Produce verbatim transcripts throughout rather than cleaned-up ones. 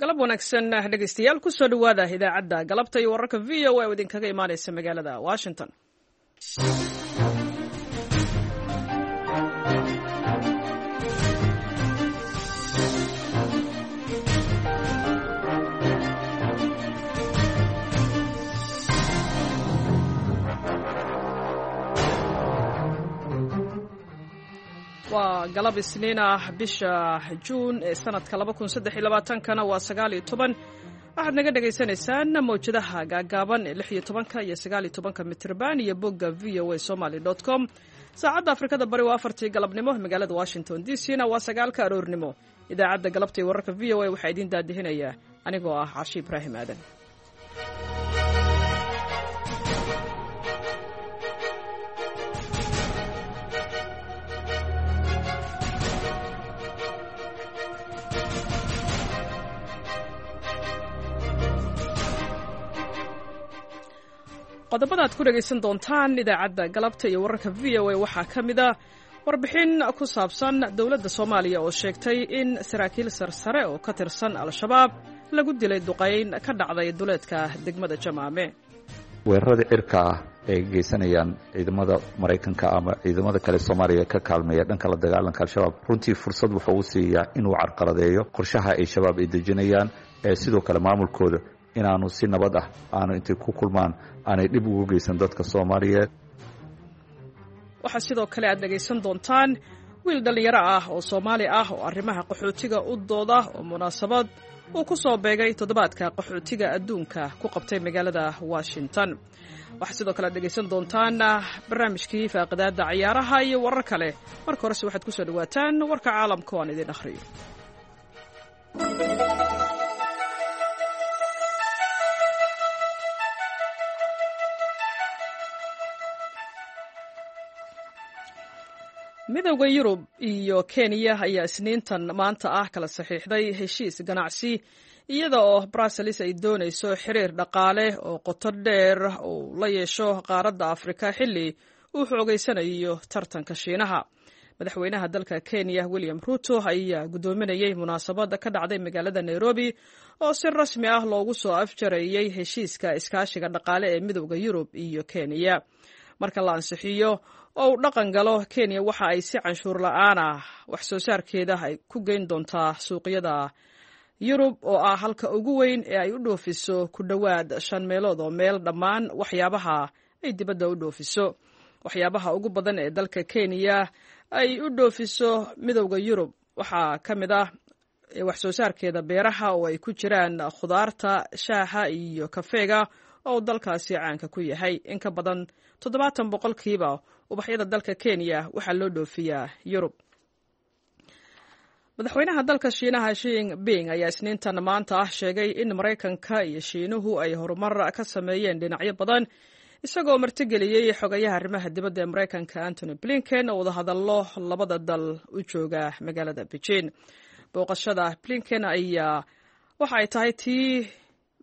Galab wanaagsan, dhegeystayaal. Kusoo dhowaada idaacadda galabta iyo wararka V O A oo idinkaga imaaneysa magaalada Washington. Waa galab Isniin ah, bisha Juun ee sanadka laba kun saddex iyo labaatankana waa sagaal iyo toban. Waxaad naga dhagaysanaysaan mawjadaha gaagaaban ee lix iyo tobanka iyo sagaal iyo tobanka mitrban iyo bogga V O A Somaly com. Saacadda Afrikada Bari waa afartii galabnimo, magaalada Washington D C na waa sagaalka aroornimo. Idaacadda galabta iyo wararka V O A waxaa idiin daadihinaya anigoo ah Cashi Ibraahim Aadan. Qodobada aad ku dhegaysan doontaan idaacadda galabta iyo wararka V O A waxaa ka mid a warbixin ku saabsan dowladda Soomaaliya oo sheegtay in saraakiil sarsare oo ka tirsan Al-Shabaab lagu dilay duqayn ka dhacday duleedka degmada Jamaame. Weerarada cirka ah ay geysanayaan ciidamada Maraykanka ama ciidamada kale Soomaaliya ka kaalmeeya dhanka la dagaalanka Al-Shabaab runtii fursad wuxuu u siiyaa inuu carqaladeeyo qorshaha ay Shabaab ay dejinayaan, ee sidoo kale maamulkooda inaanu si nabad ah aanu intay ku kulmaan aanay dhib ugu geysan dadka Soomaaliyeed. Waxaa sidoo kale aad dhegaysan doontaan wiil dhallinyaro ah oo Soomaali ah oo arrimaha qaxootiga u dooda oo munaasabad uu ku soo beegay toddobaadka qaxootiga adduunka ku qabtay magaalada Washington. Waxaa sidoo kale aad dhegaysan doontaan barnaamijkii faaqidaadda cayaaraha iyo warar kale. Marka horese waxaad ku soo dhowaataan warka caalamka oo aan idin akhriyo. Midowda Yurub iyo Kenya ayaa Isniintan maanta ah kala saxiixday heshiis ganacsi, iyada oo Brussels ay doonayso xiriir dhaqaale oo qoto dheer uu la yeesho qaaradda Afrika xilli uu xoogeysanayo tartanka Shiinaha. Madaxweynaha dalka Kenya William Ruto ayaa guddoominayey munaasabad ka dhacday magaalada Nairobi oo si rasmi ah loogu soo afjarayey heshiiska iskaashiga dhaqaale ee Midowda Yurub iyo Kenya. Marka la ansixiyo oo uu dhaqan galo, Kenya waxa ay si canshuur la'aan ah wax soo saarkeeda ay ku geyn doontaa suuqyada Yurub, oo ah halka ugu weyn ee ay u dhoofiso ku dhowaad shan meelood oo meel dhammaan waxyaabaha ay dibadda u dhoofiso. Waxyaabaha ugu badan ee dalka Kenya ay u dhoofiso Midowda Yurub waxaa ka mid ah wax soo saarkeeda beeraha, oo ay ku jiraan khudaarta, shaaha iyo kafeega oo dalkaasi caanka ku yahay. In ka badan toddobaatan boqolkiiba ubaxyada dalka Kenya waxaa loo dhoofiyaa Yurub. Madaxweynaha dalka Shiinaha Xi Jinping ayaa Isniintan maanta ah sheegay in Maraykanka iyo Shiinuhu ay horumar ka sameeyeen dhinacyo badan, isagoo martigeliyey xogayaha arrimaha dibadda ee Maraykanka Antony Blinken oo wadahadallo labada dal u jooga magaalada Beijing. Booqashada Blinken ayaa waxa ay tahay tii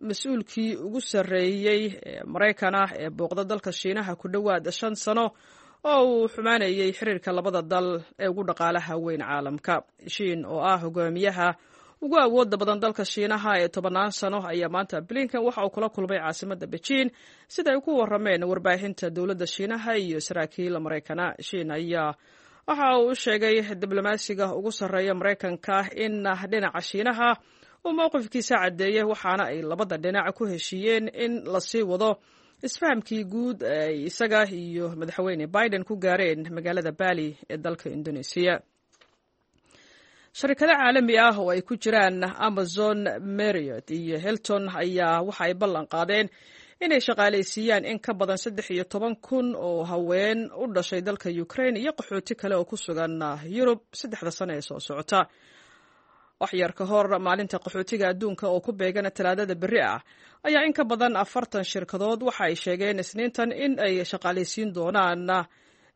mas-uulkii ugu sarreeyey ee Maraykan ah ee booqda dalka Shiinaha ku dhowaad shan sano oo uu xumaanayey xiriirka labada dal ee ugu dhaqaalaha weyn caalamka. Xi oo ah hogaamiyaha ugu awooda badan dalka Shiinaha ee tobannaan sano ayaa maanta Blinken waxa uu kula kulmay caasimadda Beijing, sida ay ku warrameen warbaahinta dowladda Shiinaha iyo saraakiil Maraykana. Xi ayaa waxa uu u sheegay diblomaasiga ugu sarreeya Maraykanka in dhinaca Shiinaha uu mowqifkiisa caddeeyey, waxaana ay labada dhinac ku heshiiyeen in lasii wado isfahamkii guud ay isaga iyo madaxweyne Biden ku gaareen magaalada Bali ee dalka Indonesia. Sharikado caalami ah oo ay ku jiraan Amazon, Marriott iyo Hilton ayaa waxa ay ballan qaadeen inay shaqaalaysiiyaan in ka badan saddex iyo toban kun oo haween u dhashay dalka Ukraine iyo qaxooti kale oo ku sugan Yurub saddexda sano ee soo socota. Waxyar ka hor maalinta qaxootiga adduunka oo ku beegana Talaadada berri ah ayaa in ka badan afartan shirkadood waxa ay sheegeen Isniintan in ay shaqaalaysiin doonaan,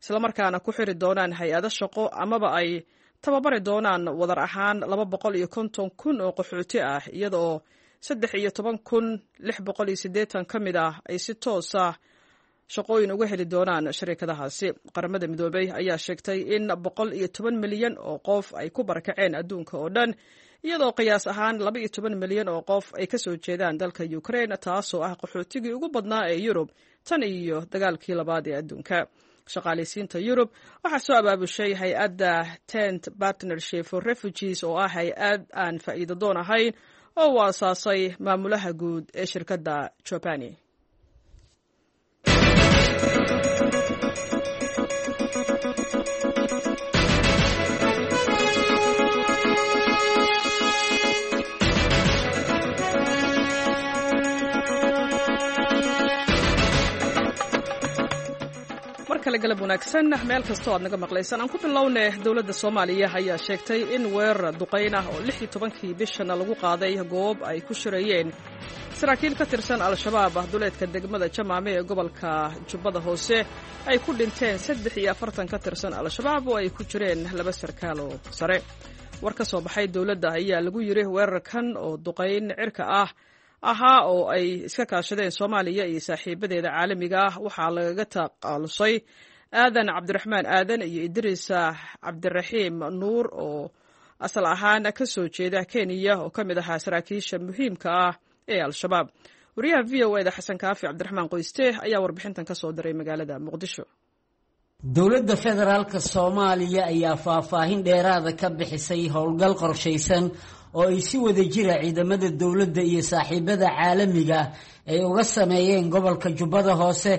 islamarkaana ku xiri doonaan hay-ado shaqo amaba ay tababari doonaan wadar ahaan laba boqol iyo konton kun oo qaxooti ah, iyada oo saddex iyo toban kun lix boqol iyo siddeetan ka mid ah ay si toosa shaqooyin uga heli doonaan shirkadahaasi. Qaramada Midoobey ayaa sheegtay in boqol iyo toban milyan oo qof ay ku barakaceen adduunka oo dhan, iyadoo qiyaas ahaan laba iyo toban milyan oo qof ay ka soo jeedaan dalka Ukraine, taasoo ah qaxootigii ugu badnaa ee Yurub tan iyo dagaalkii labaad ee adduunka. Shaqaalaysiinta Yurub waxaa soo abaabushay hay-adda Tent Partnership for Refugees, oo ah hay-ad aan faa'iido doon ahayn oo uu aasaasay maamulaha guud ee shirkadda Jobani. Markale galab wanaagsan meel kastoo aad naga maqlaysaan. Aan ku bilownay, dowladda Soomaaliya ayaa sheegtay in weerar duqayn ah oo lix iyo tobankii bishana lagu qaaday goob ay ku shirayeen saraakiil ka tirsan Al-Shabaab ah duleedka degmada Jamaame ee gobolka Jubbada Hoose ay ku dhinteen saddex iyo afartan ka tirsan Al-Shabaab oo ay ku jireen laba sarkaal oo sare. War ka soo baxay dowladda ayaa lagu yiri weerarkan oo duqayn cirka ah ahaa oo ay iska kaashadeen Soomaaliya iyo saaxiibadeeda caalamiga ah waxaa lagaga taqaalusay Aadan Cabdiraxmaan Aadan iyo Idriis Cabdiraxiim Nuur oo asal ahaan ka soo jeeda Kenya oo ka mid ahaa saraakiisha muhiimka ah ee Al-Shabaab. Wariyaha V O eda Xasan Kaafi Cabdiraxmaan Qoyste ayaa warbixintan ka soo diray magaalada Muqdisho. Dowladda federaalka Soomaaliya ayaa faahfaahin dheeraada ka bixisay howlgal qorshaysan oo ay si wada jira ciidamada dowladda iyo saaxiibada caalamiga ay uga sameeyeen gobolka Jubbada Hoose,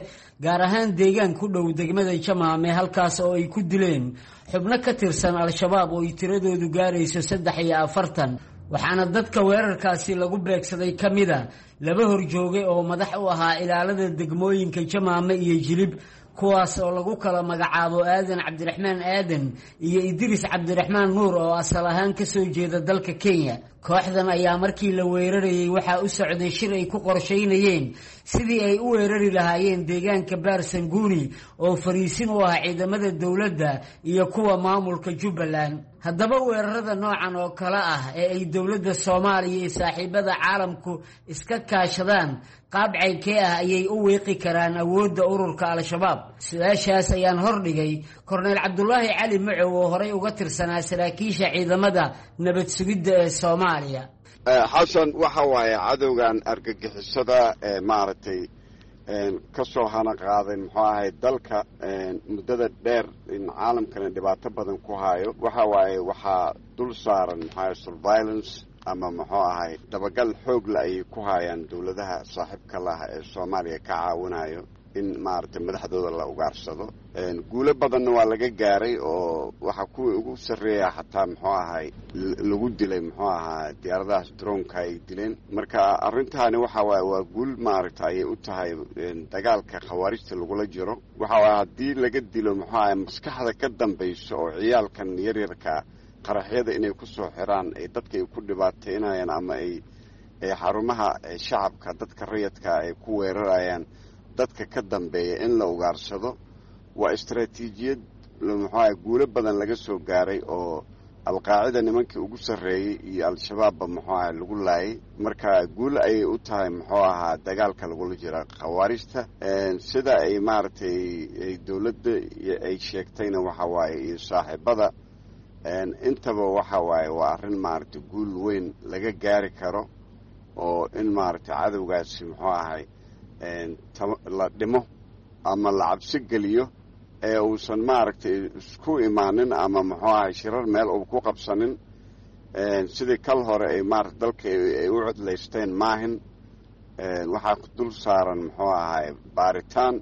gaar ahaan deegaan ku dhow degmada Jamaame, halkaas oo ay ku dileen xubno ka tirsan Al-Shabaab oo ay tiradoodu gaarayso saddex iyo afartan. Waxaana dadka weerarkaasi lagu beegsaday ka mida laba horjoogay oo madax u ahaa ilaalada degmooyinka Jamaame iyo Jilib, kuwaas oo lagu kala magacaabo Aadan Cabdiraxmaan Aadan iyo Idriis Cabdiraxmaan Nuur oo asal ahaan ka soo jeeda dalka Kenya. Kooxdan ayaa markii la weerarayay waxaa u socday shir ay ku qorshaynayeen sidii ay u weerari lahaayeen deegaanka Baarsanguuni oo fariisin u ah ciidamada dowladda iyo kuwa maamulka Jubbaland. Haddaba weerarada noocan oo kale ah ee ay dowladda Soomaaliya iyo saaxiibada caalamku iska kaashadaan qaab caynkee ah ayay u wiiqi karaan awoodda ururka Al-Shabaab? Su-aashaas ayaan hordhigay Korneyl Cabdulaahi Cali Macow oo horey uga tirsanaa saraakiisha ciidamada nabad sugidda ee Soomaaliya. Xasan, waxa waaye cadowgan argagixisada ee maaragtay ka soo hana qaaday muxuu ahay dalka muddada dheer in caalamkana dhibaato badan ku hayo, waxa waaye waxaa dul saaran muxuahay surveillance ama muxuu ahay dabagal xoogla ayay ku hayaan dowladaha saaxiibka laha ee Soomaaliya ka caawinayo in maaragtay madaxdooda la ugaarsado. Guulo badanna waa laga gaaray oo waxaa kuwii ugu sarreeya xataa muxuu ahay lagu dilay muxuu ahaa diyaaradahaas droonka ay dileen. Marka arrintaani waxa waaye waa guul maaragta ayay u tahay dagaalka khawaarijta lagula jiro. Waxa waaye haddii laga dilo muxuu ahay maskaxda ka dambaysa oo ciyaalkan yaryarka qaraxyada inay ku soo xiraan ay dadka ay ku dhibaateynayaan ama ay xarumaha shacabka dadka rayadka ay ku weerarayaan, dadka ka dambeeya in la ugaarsado waa istaraatiijiyad muxuaha guulo badan laga soo gaaray oo Alqaacida nimankii ugu sarreeyey iyo Al-Shabaabba muxuu ahay lagu laayay. Marka guul ayay u tahay muxuu ahaa dagaalka lagula jira khawaarijta, sida ay maaragtay dowladda ay sheegtayna waxa waaye iyo saaxiibada intaba waxa waaye waa arrin maaragtay guul weyn laga gaari karo oo in maaragtay cadowgaasi muxuu ahay la dhimo ama la cabsi geliyo ee uusan maaragtay isku imaanin ama muxuu ahay shirar meel uu ku qabsanin sidii kal hore ay maarata dalka ay u codlaysteen maahin. Waxaa dul saaran muxuu ahay baaritaan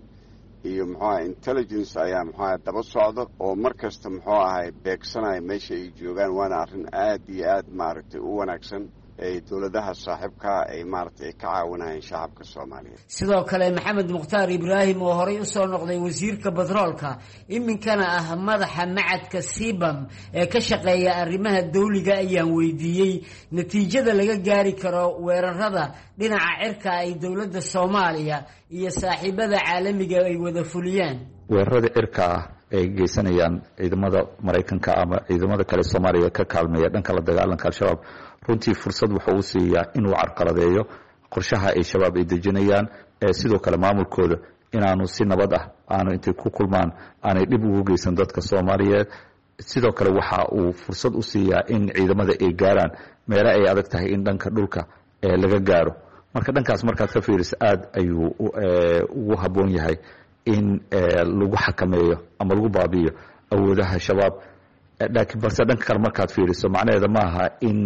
iyo muxuu ahay intelligence ayaa muxuu ahay daba socdo oo mar kasta muxuu ahay beegsanaya meesha ay joogaan, waana arrin aad iyo aad maaragtay u wanaagsan ay dowladaha saaxiibkaa ay maaragtay ay ka caawinayaan shacabka Soomaaliyeed. Sidoo kale Maxamed Mukhtaar Ibraahim oo horey usoo noqday wasiirka batroolka, iminkana ah madaxa macadka Sibam ee ka shaqeeya arrimaha dawliga, ayaan weydiiyey natiijada laga gaari karo weerarada dhinaca cirka ay dowladda Soomaaliya iyo saaxiibada caalamiga ay wada fuliyaan. Weerarada cirka ah ay geysanayaan ciidamada Maraykanka ama ciidamada kale Soomaaliya ka kaalmeeya dhanka la dagaalanka Al-Shabaab runtii fursad wuxuu u siiyaa inuu carqaladeeyo qorshaha ay Shabaab ay dejinayaan, sidoo kale maamulkooda Inaanu si nabad ah aanu intay ku kulmaan aanay dhib ugu geysan dadka Soomaaliyeed. Sidoo kale waxa uu fursad u siiyaa in ciidamada ay gaaraan meelo ay adag tahay in dhanka dhulka laga gaaro. Marka dhankaas markaad ka fiiriso, aad ayuu ugu habboon yahay in lagu xakameeyo ama lagu baabi'iyo awoodaha Shabaab. Laakiin balse dhanka kale markaad fiiriso, macnaheeda maaha in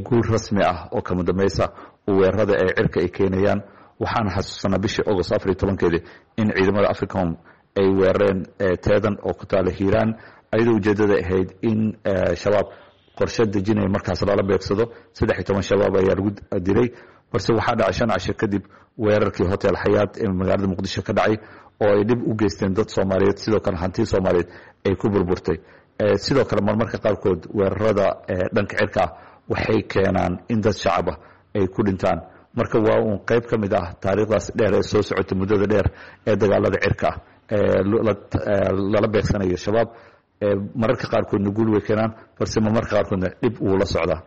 guul rasmi ah oo kama dambaysa weerarada ee cirka ay keenayaan. Waxaan xasuusanaa bishii Agost afar iyo tobankeedii in ciidamada Africom ay weerareen Teedan oo ku taala Hiiraan, ayadoo ujeeddada ahayd in Shabaab qorshe dejinaya markaas lala beegsado. Saddex iyo toban Shabaab ayaa lagu dilay, balse waxaa dhacay shan casho kadib weerarkii Hotel Xayaat ee magaalada Muqdisho ka dhacay, oo ay dhib u geysteen dad Soomaaliyeed, sidoo kale hanti Soomaaliyeed ay ku burburtay. Sidoo kale marmarka qaarkood weerarada dhanka cirka ah waxay keenaan in dad shacab ah ay ku dhintaan. Marka waa uun qayb ka mid ah taariikhdaas dheer ee soo socotay muddada dheer ee dagaalada cirka ah ee lala beegsanayo Shabaab. Mararka qaarkoodna guul way keenaan, balse marmarka qaarkoodna dhib wuu la socdaa.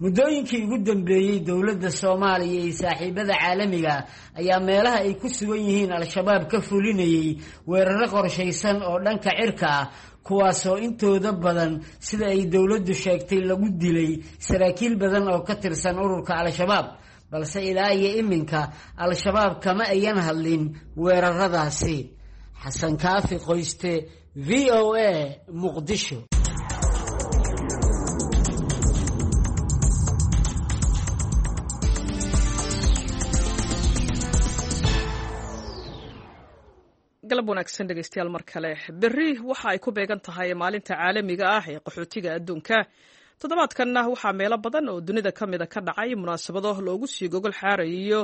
Muddooyinkii ugu dambeeyey, dowladda Soomaaliya iyo saaxiibada caalamiga ayaa meelaha ay ku sugan yihiin Al-Shabaab ka fulinayay weeraro qorshaysan oo dhanka cirka ah, kuwaasoo intooda badan, sida ay dowladdu sheegtay, lagu dilay saraakiil badan oo ka tirsan ururka Al-Shabaab. Balse ilaa iyo iminka Al-Shabaab kama ayan hadlin weeraradaasi. Xasan Kaafi Qoyste, V O A, Muqdisho. Galab wanaagsan, dhegeystayaal, mar kale. Berri waxa ay ku beegan tahay Maalinta Caalamiga ah ee Qaxootiga Adduunka. Toddobaadkanna waxaa meelo badan oo dunida ka mida ka dhacay munaasabado loogu sii gogol xaarayo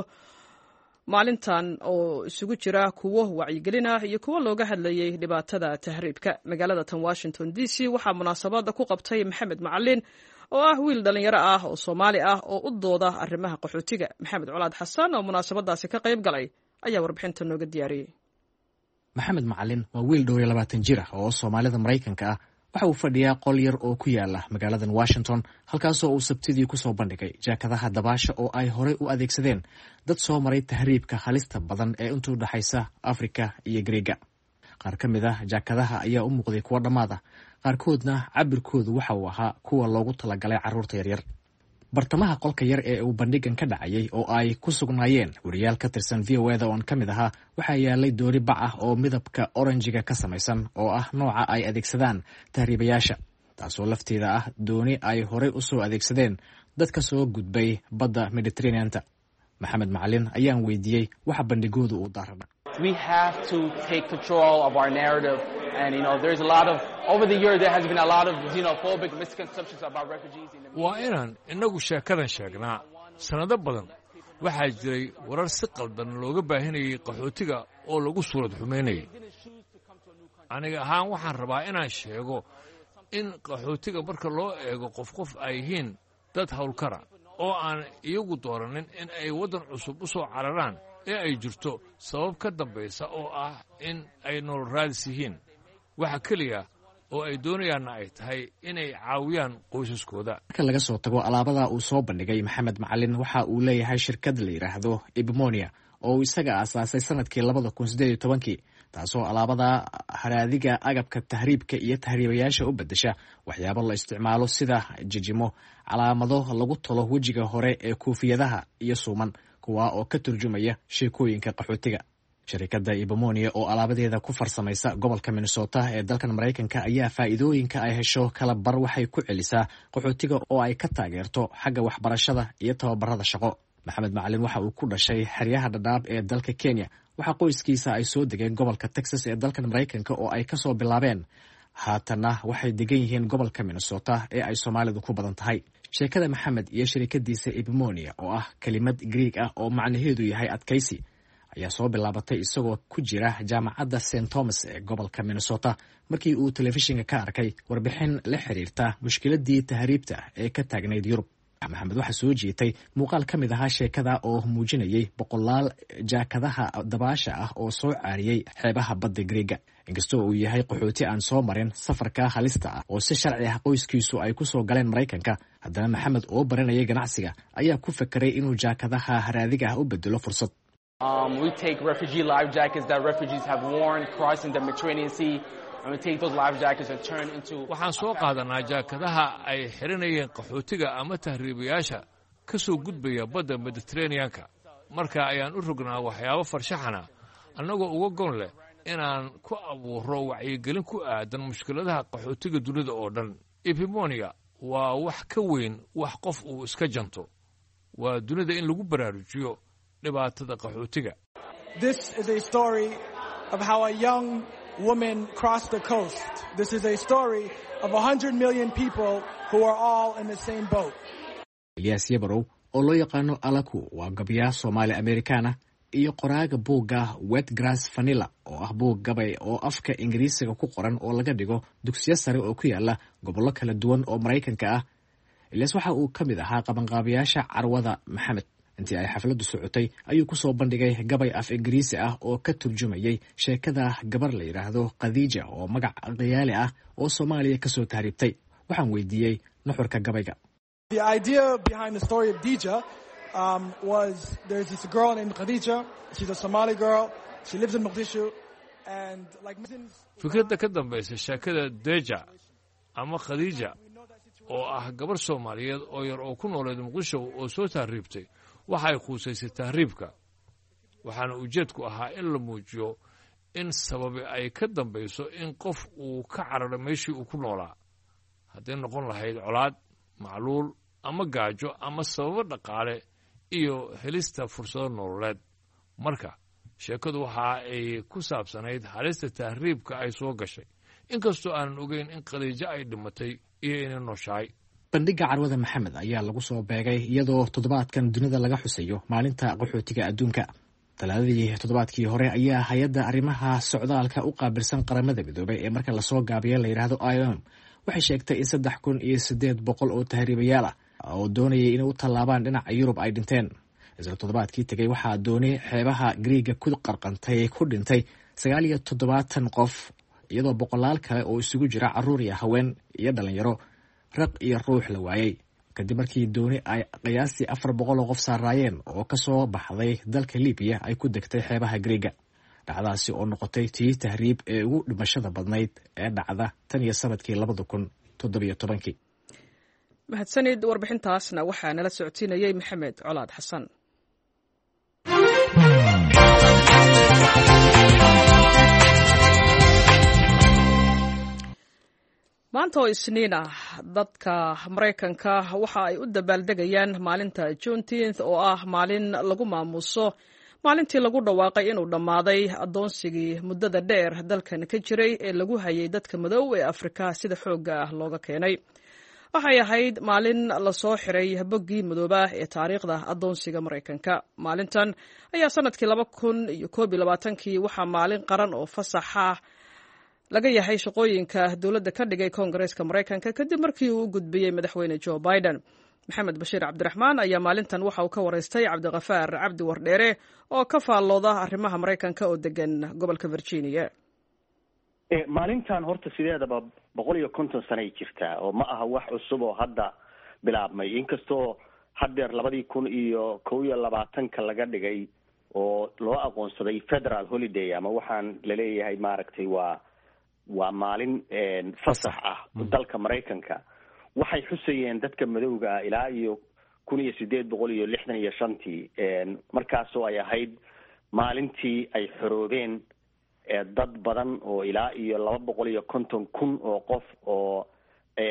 maalintan, oo isugu jira kuwo wacyigelin ah iyo kuwo looga hadlayay dhibaatada tahriibka. Magaalada tan Washington D C waxaa munaasabada ku qabtay Maxamed Macalin, oo ah wiil dhallinyaro ah oo Soomaali ah oo u dooda arrimaha qaxootiga. Maxamed Colaad Xasan oo munaasabadaasi ka qayb galay ayaa warbixinta nooga diyaariyey. Maxamed Macalin waa wiil dhowr iyo labaatan jir ah oo Soomaalida Maraykanka ah. Waxa uu fadhiyaa qol yar oo ku yaala magaaladan Washington, halkaasoo uu Sabtidii kusoo bandhigay jaakadaha dabaasha oo ay horey u adeegsadeen dad soo maray tahriibka halista badan ee intuu dhexaysa Afrika iyo Greega. Qaar ka mid ah jaakadaha ayaa u muuqday kuwo dhammaad ah, qaarkoodna cabirkoodu waxa uu ahaa kuwa loogu talagalay carruurta yaryar. Bartamaha qolka yar ee uu bandhigan ka dhacayay, oo ay ku sugnaayeen wariyaal ka tirsan V O A da oon ka mid ahaa, waxaa yaalay doori bac ah oo midabka oranjiga ka samaysan, oo ah nooca ay adeegsadaan tahriibayaasha, taasoo lafteeda ah dooni ay horey u soo adeegsadeen dad ka soo gudbay badda Mediterraneanta. Maxamed Macalin ayaan weydiiyey waxa bandhigoodu uu daarana. We have to take control of our narrative. And, you know, there's a lot of, over the years, there has been a lot of xenophobic misconceptions about refugees in the Waa inaan innagu sheekadan sheegnaa. Sannado badan waxaa jiray warar si qaldan looga baahinayay qaxootiga oo lagu suurad xumaynayay. Aniga ahaan waxaan rabaa inaan sheego in qaxootiga marka loo eego qof qof ay yihiin dad howlkara oo aan iyagu dooranin in ay waddan cusub u soo cararaan, ee ay jirto sabab ka dambaysa oo ah in ay nolol raadis yihiin, waxa keliya oo ay doonayaanna ay tahay inay caawiyaan qoysaskooda. Marka laga soo tago alaabada uu soo bandhigay, Maxamed Macalin waxa uu leeyahay shirkad la yidhaahdo Ibmonia, oo uu isaga aasaasay sanadkii labada kun siddeed iyo tobankii, taasoo alaabada haraadiga agabka tahriibka iyo tahriibayaasha u beddesha waxyaabo la isticmaalo, sida jijimo, calaamado lagu tolo wejiga hore ee koofiyadaha iyo suuman, kuwa oo ka turjumaya sheekooyinka qaxootiga. Sharikadda Ibomonia oo alaabadeeda ku farsamaysa gobolka Minnesota ee dalkan Maraykanka ayaa faa'iidooyinka ay hesho kala bar waxay ku celisaa qaxootiga, oo ay ka taageerto xagga waxbarashada iyo tababarada shaqo. Maxamed Macalin waxa uu ku dhashay xeryaha Dhadhaab ee dalka Kenya. Waxaa qoyskiisa ay soo degeen gobolka Texas ee dalkan Maraykanka, oo ay kasoo bilaabeen. Haatanna waxay degan yihiin gobolka Minnesota ee ay Soomaalidu ku badan tahay. Sheekada Maxamed iyo sharikadiisa Ibmonia, oo ah kelimad Greeg ah oo macnaheedu yahay adkaysi, ayaa soo bilaabatay isagoo ku jira jaamacadda Saint Thomas ee gobolka Minnesota, markii uu telefishinka ka arkay warbixin la xiriirta mushkiladii tahriibta ee ka taagnayd Yurub. Maxamed waxaa soo jiitay muuqaal ka mid ahaa sheekada oo muujinayay boqolaal jaakadaha dabaasha ah oo soo caariyey xeebaha badda Greega. Inkastoo uu yahay qaxooti aan soo marin safarka halista ah oo si sharci ah qoyskiisu ay kusoo galeen Maraykanka, haddana Maxamed oo baranayay ganacsiga ayaa ku fekeray inuu jaakadaha haraadiga ah u bedelo fursad. Um, we take refugee life jackets that refugees have worn crossing the Mediterranean Sea, and we take those life jackets and turn into. Waxaan soo qaadanaa jaakadaha ay xiranayeen qaxootiga ama tahriibayaasha ka soo gudbaya badda Mediteraneanka. Marka ayaan u rognaa waxyaabo farshaxana, annagoo uga gon leh inaan ku abuuro wacyigelin ku aadan mushkiladaha qaxootiga dunida oo dhan. Epimonia waa wax ka weyn wax qof uu iska janto, waa dunida in lagu baraarujiyo dhibaatada qaxootiga. This is a story of how a young woman crossed the coast. This is a story of a hundred million people who are all in the same boat. Elyaas Yabarow oo loo yaqaano Alaku waa gabyaa Soomaali Amerikaana iyo qoraaga buugga Wet Grass Vanilla, oo ah buug gabay oo afka Ingiriisiga ku qoran oo laga dhigo dugsiyo sare oo ku yaala gobollo kala duwan oo Maraykanka ah. Elyaas waxa uu ka mid ahaa qabanqaabayaasha carwada Maxamed. Intii ay xafladdu socotay ayuu ku soo bandhigay gabay af Ingiriisi ah oo ka turjumayay sheekada gabar la yidhaahdo Khadiija, oo magac khiyaali ah, oo Soomaaliya kasoo tahriibtay. Waxaan weydiiyey nuxurka gabayga. The idea behind the story of Dija um, was there's this girl named Khadija. She's a Somali girl. She lives in Mogadishu. And like Fikradda ka dambaysa sheekada Deja ama Khadiija, oo ah gabar Soomaaliyeed oo yar oo ku nooleed Muqdisho oo soo tahriibtay, waxay khuusaysay tahriibka, waxaana ujeedku ahaa in la muujiyo in sababi ay ka dambayso in qof uu ka cararo meeshii uu ku noolaa, hadday noqon lahayd colaad, macluul ama gaajo ama sababo dhaqaale iyo helista fursado nololeed. Marka sheekadu waxa ay ku saabsanayd halista tahriibka ay soo gashay, inkastoo aanan ogeyn in Khadiijo ay dhimatay iyo inay nooshahay. Bandhigga carwada Maxamed ayaa lagu soo beegay iyadoo toddobaadkan dunida laga xusayo maalinta qaxootiga adduunka. Talaadadii toddobaadkii hore ayaa hay-adda arrimaha socdaalka u qaabilsan Qaramada Midoobay ee marka lasoo gaabiya la yidhaahdo I O M waxay sheegtay in saddex kun iyo siddeed boqol oo tahriibayaal ah oo doonayay inay u tallaabaan dhinaca Yurub ay dhinteen. Isla toddobaadkii tegey waxaa dooni xeebaha Griiga ku qarqantay ku dhintay sagaal iyo toddobaatan qof, iyadoo boqolaal kale oo isugu jira carruur iyo haween iyo dhalinyaro raq iyo ruux la waayey, kadib markii dooni ay qiyaastii afar boqol oo qof saaraayeen oo kasoo baxday dalka Libiya ay ku degtay xeebaha Griiga, dhacdaasi oo noqotay tii tahriib ee ugu dhimashada badnayd ee dhacda tan iyo sanadkii labada kun toddobiyo tobankii. Mahadsanid. Warbixintaasna waxaa nala socodsiinayey Maxamed Colaad Xasan. Maanta oo Isniin ah, dadka Maraykanka waxa ay u dabaaldegayaan maalinta Juneteenth, oo ah maalin lagu maamuuso maalintii lagu dhawaaqay inuu dhammaaday addoonsigii muddada dheer dalkan ka jiray ee lagu hayay dadka madow ee Afrika sida xoogga ah looga keenay. Waxay ahayd maalin lasoo xiray boggii madooba ee taariikhda addoonsiga Maraykanka. Maalintan ayaa sanadkii laba kun iyo koob iyo labaatankii waxaa maalin qaran oo fasaxa laga yahay shaqooyinka dowladda ka dhigay Koongareeska Maraykanka, kadib markii uu u gudbiyey Madaxweyne Joe Biden. Maxamed Bashiir Cabdiraxmaan ayaa maalintan waxa uu ka waraystay Cabdikafaar Cabdi Wardheere oo ka faallooda arrimaha Maraykanka oo degan gobolka Virginia. Maalintan horta sideedaba boqol iyo konton sanay jirtaa, oo ma aha wax cusub oo hadda bilaabmay, inkastoo haddeer labadii kun iyo kow iyo labaatanka laga dhigay oo loo aqoonsaday federal holiday, ama waxaan laleeyahay maaragtay waa waa maalin fasax ah dalka Maraykanka. Waxay xusayeen dadka madowga ah ilaa iyo kun iyo sideed boqol iyo lixdan iyo shantii, markaasoo ay ahayd maalintii ay xoroobeen dad badan oo ilaa iyo laba boqol iyo konton kun oo qof oo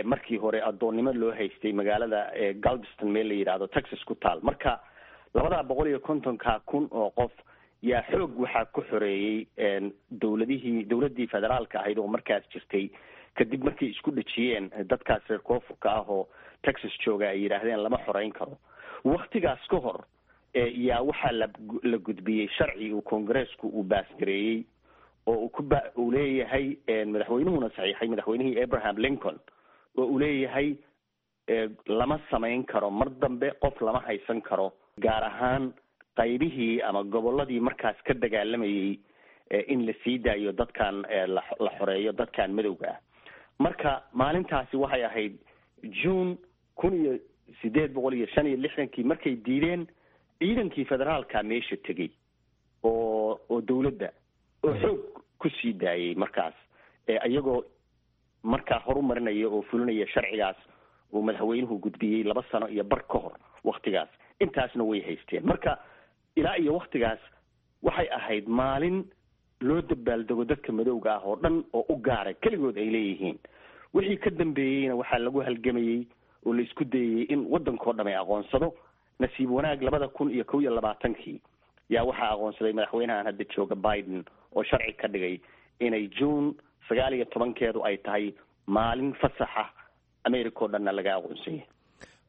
markii hore addoonnimo loo haystay magaalada Galveston meel la yidhaahdo Texas ku taal. Marka labada boqol iyo kontonka kun oo qof yaa xoog waxaa ku xoreeyey dowladihii dowladdii federaalka ahayd oo markaas jirtay, kadib markay isku dhejiyeen dadkaas reer koonfurka ah oo Texas jooga, ay yidhaahdeen lama xoreyn karo. Waktigaas ka hor yaa waxaa la la gudbiyey sharci uu Koongareesku uu baasgareeyey oo uu ku ba uu leeyahay madaxweynuhuna saxiixay, madaxweynihii Abraham Lincoln, oo uu leeyahay lama samayn karo mar dambe, qof lama haysan karo, gaar ahaan qaybihii ama gobolladii markaas ka dagaalamayay in la sii daayo dadkan, la xoreeyo dadkan madowga ah. Marka maalintaasi waxay ahayd June kun iyo sideed boqol iyo shan iyo lixdankii markay diideen ciidankii federaalka meesha tegey. oo oo dowladda oo xoog ku sii daayay markaas, iyagoo markaa horumarinaya oo fulinaya sharcigaas uu madaxweynuhu gudbiyey laba sano iyo bar ka hor waktigaas. Intaasna way haysteen. Marka ilaa iyo waktigaas waxay ahayd maalin loo dabaaldego dadka madowga ah oo dhan oo u gaara keligood ay leeyihiin. Wixii ka dambeeyeyna waxaa lagu halgamayey oo la isku dayayey in waddankao dham ay aqoonsado. Nasiib wanaag labada kun iyo kow iyo labaatankii yaa waxaa aqoonsaday madaxweynahan hadda jooga Biden, oo sharci ka dhigay inay June sagaal iyo tobankeedu ay tahay maalin fasaxa, America oo dhanna laga aqoonsanyay.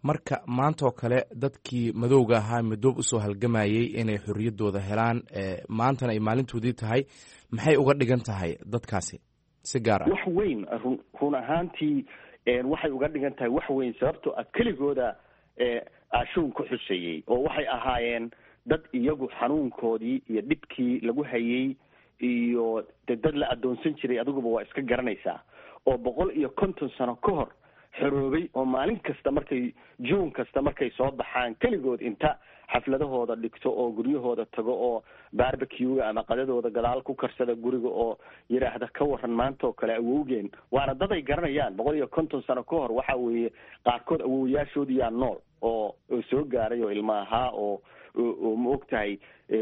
Marka maanta oo kale dadkii madowga ahaa midoob usoo halgamayey inay xorriyaddooda helaan, maantana ay maalintoodii tahay, maxay uga dhigan tahay dadkaasi si gaar ah? Wax weyn run run ahaantii waxay uga dhigan tahay wax weyn, sababtoo ah keligooda aashuun ku xuseeyey oo waxay ahaayeen dad iyagu xanuunkoodii iyo dhibkii lagu hayey iyo de dad la addoonsan jiray, adiguba waa iska garanaysaa, oo boqol iyo konton sano ka hor xoroobay, oo maalin kasta markay June kasta markay soo baxaan keligood inta xafladahooda dhigto oo guryahooda tago oo barbecue-ga ama qadadooda gadaal ku karsada guriga oo yidhaahda ka waran maanta oo kale awowgeen. Waana dad ay garanayaan boqol iyo konton sano ka hor. Waxa weeye qaarkood awowyaashoodiyaa nool oo oo soo gaaray oo ilma ahaa oo oo ma og tahay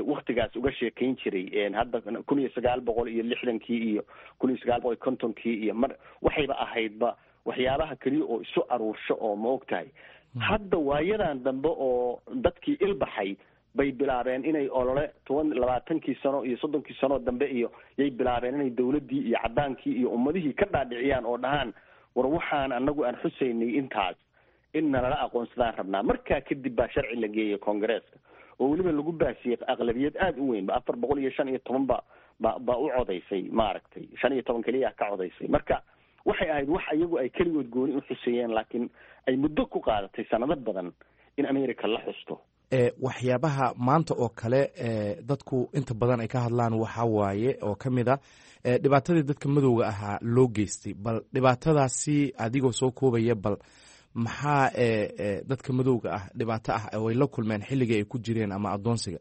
waktigaas uga sheekayn jiray. Hadda kun iyo sagaal boqol iyo lixdankii iyo kun iyo sagaal boqol iyo kontonkii iyo mar waxayba ahaydba waxyaabaha keliya oo isu aruursho oo ma og tahay. Hadda waayadan dambe oo dadkii ilbaxay bay bilaabeen inay olole toban labaatankii sano iyo soddonkii sanoo dambe iyo yay bilaabeen inay dawladdii iyo caddaankii iyo ummadihii ka dhaadhiciyaan oo dhahaan, war waxaan anagu aan xusaynay intaas in nalala aqoonsadaan rabnaa. Markaa kadib baa sharci la geeyay Koongareeska oo weliba lagu baasiyey aqlabiyad aada u weyn ba, afar boqol iyo shan iyo toban ba ba baa u codaysay, maaragtay, shan iyo toban keliya ka codaysay. Marka waxay ahayd wax iyagu ay keligood gooni u xuseeyeen, laakiin ay muddo ku qaadatay sanado badan in America la xusto. Waxyaabaha maanta oo kale dadku inta badan ay ka hadlaan waxaa waaye oo ka mid a dhibaatadii dadka madowga ahaa loo geystay. Bal dhibaatadaasi adigoo soo koobaya, bal maxaa dadka madowga ah dhibaato ah oo ay la kulmeen xilligii ay ku jireen ama addoonsiga?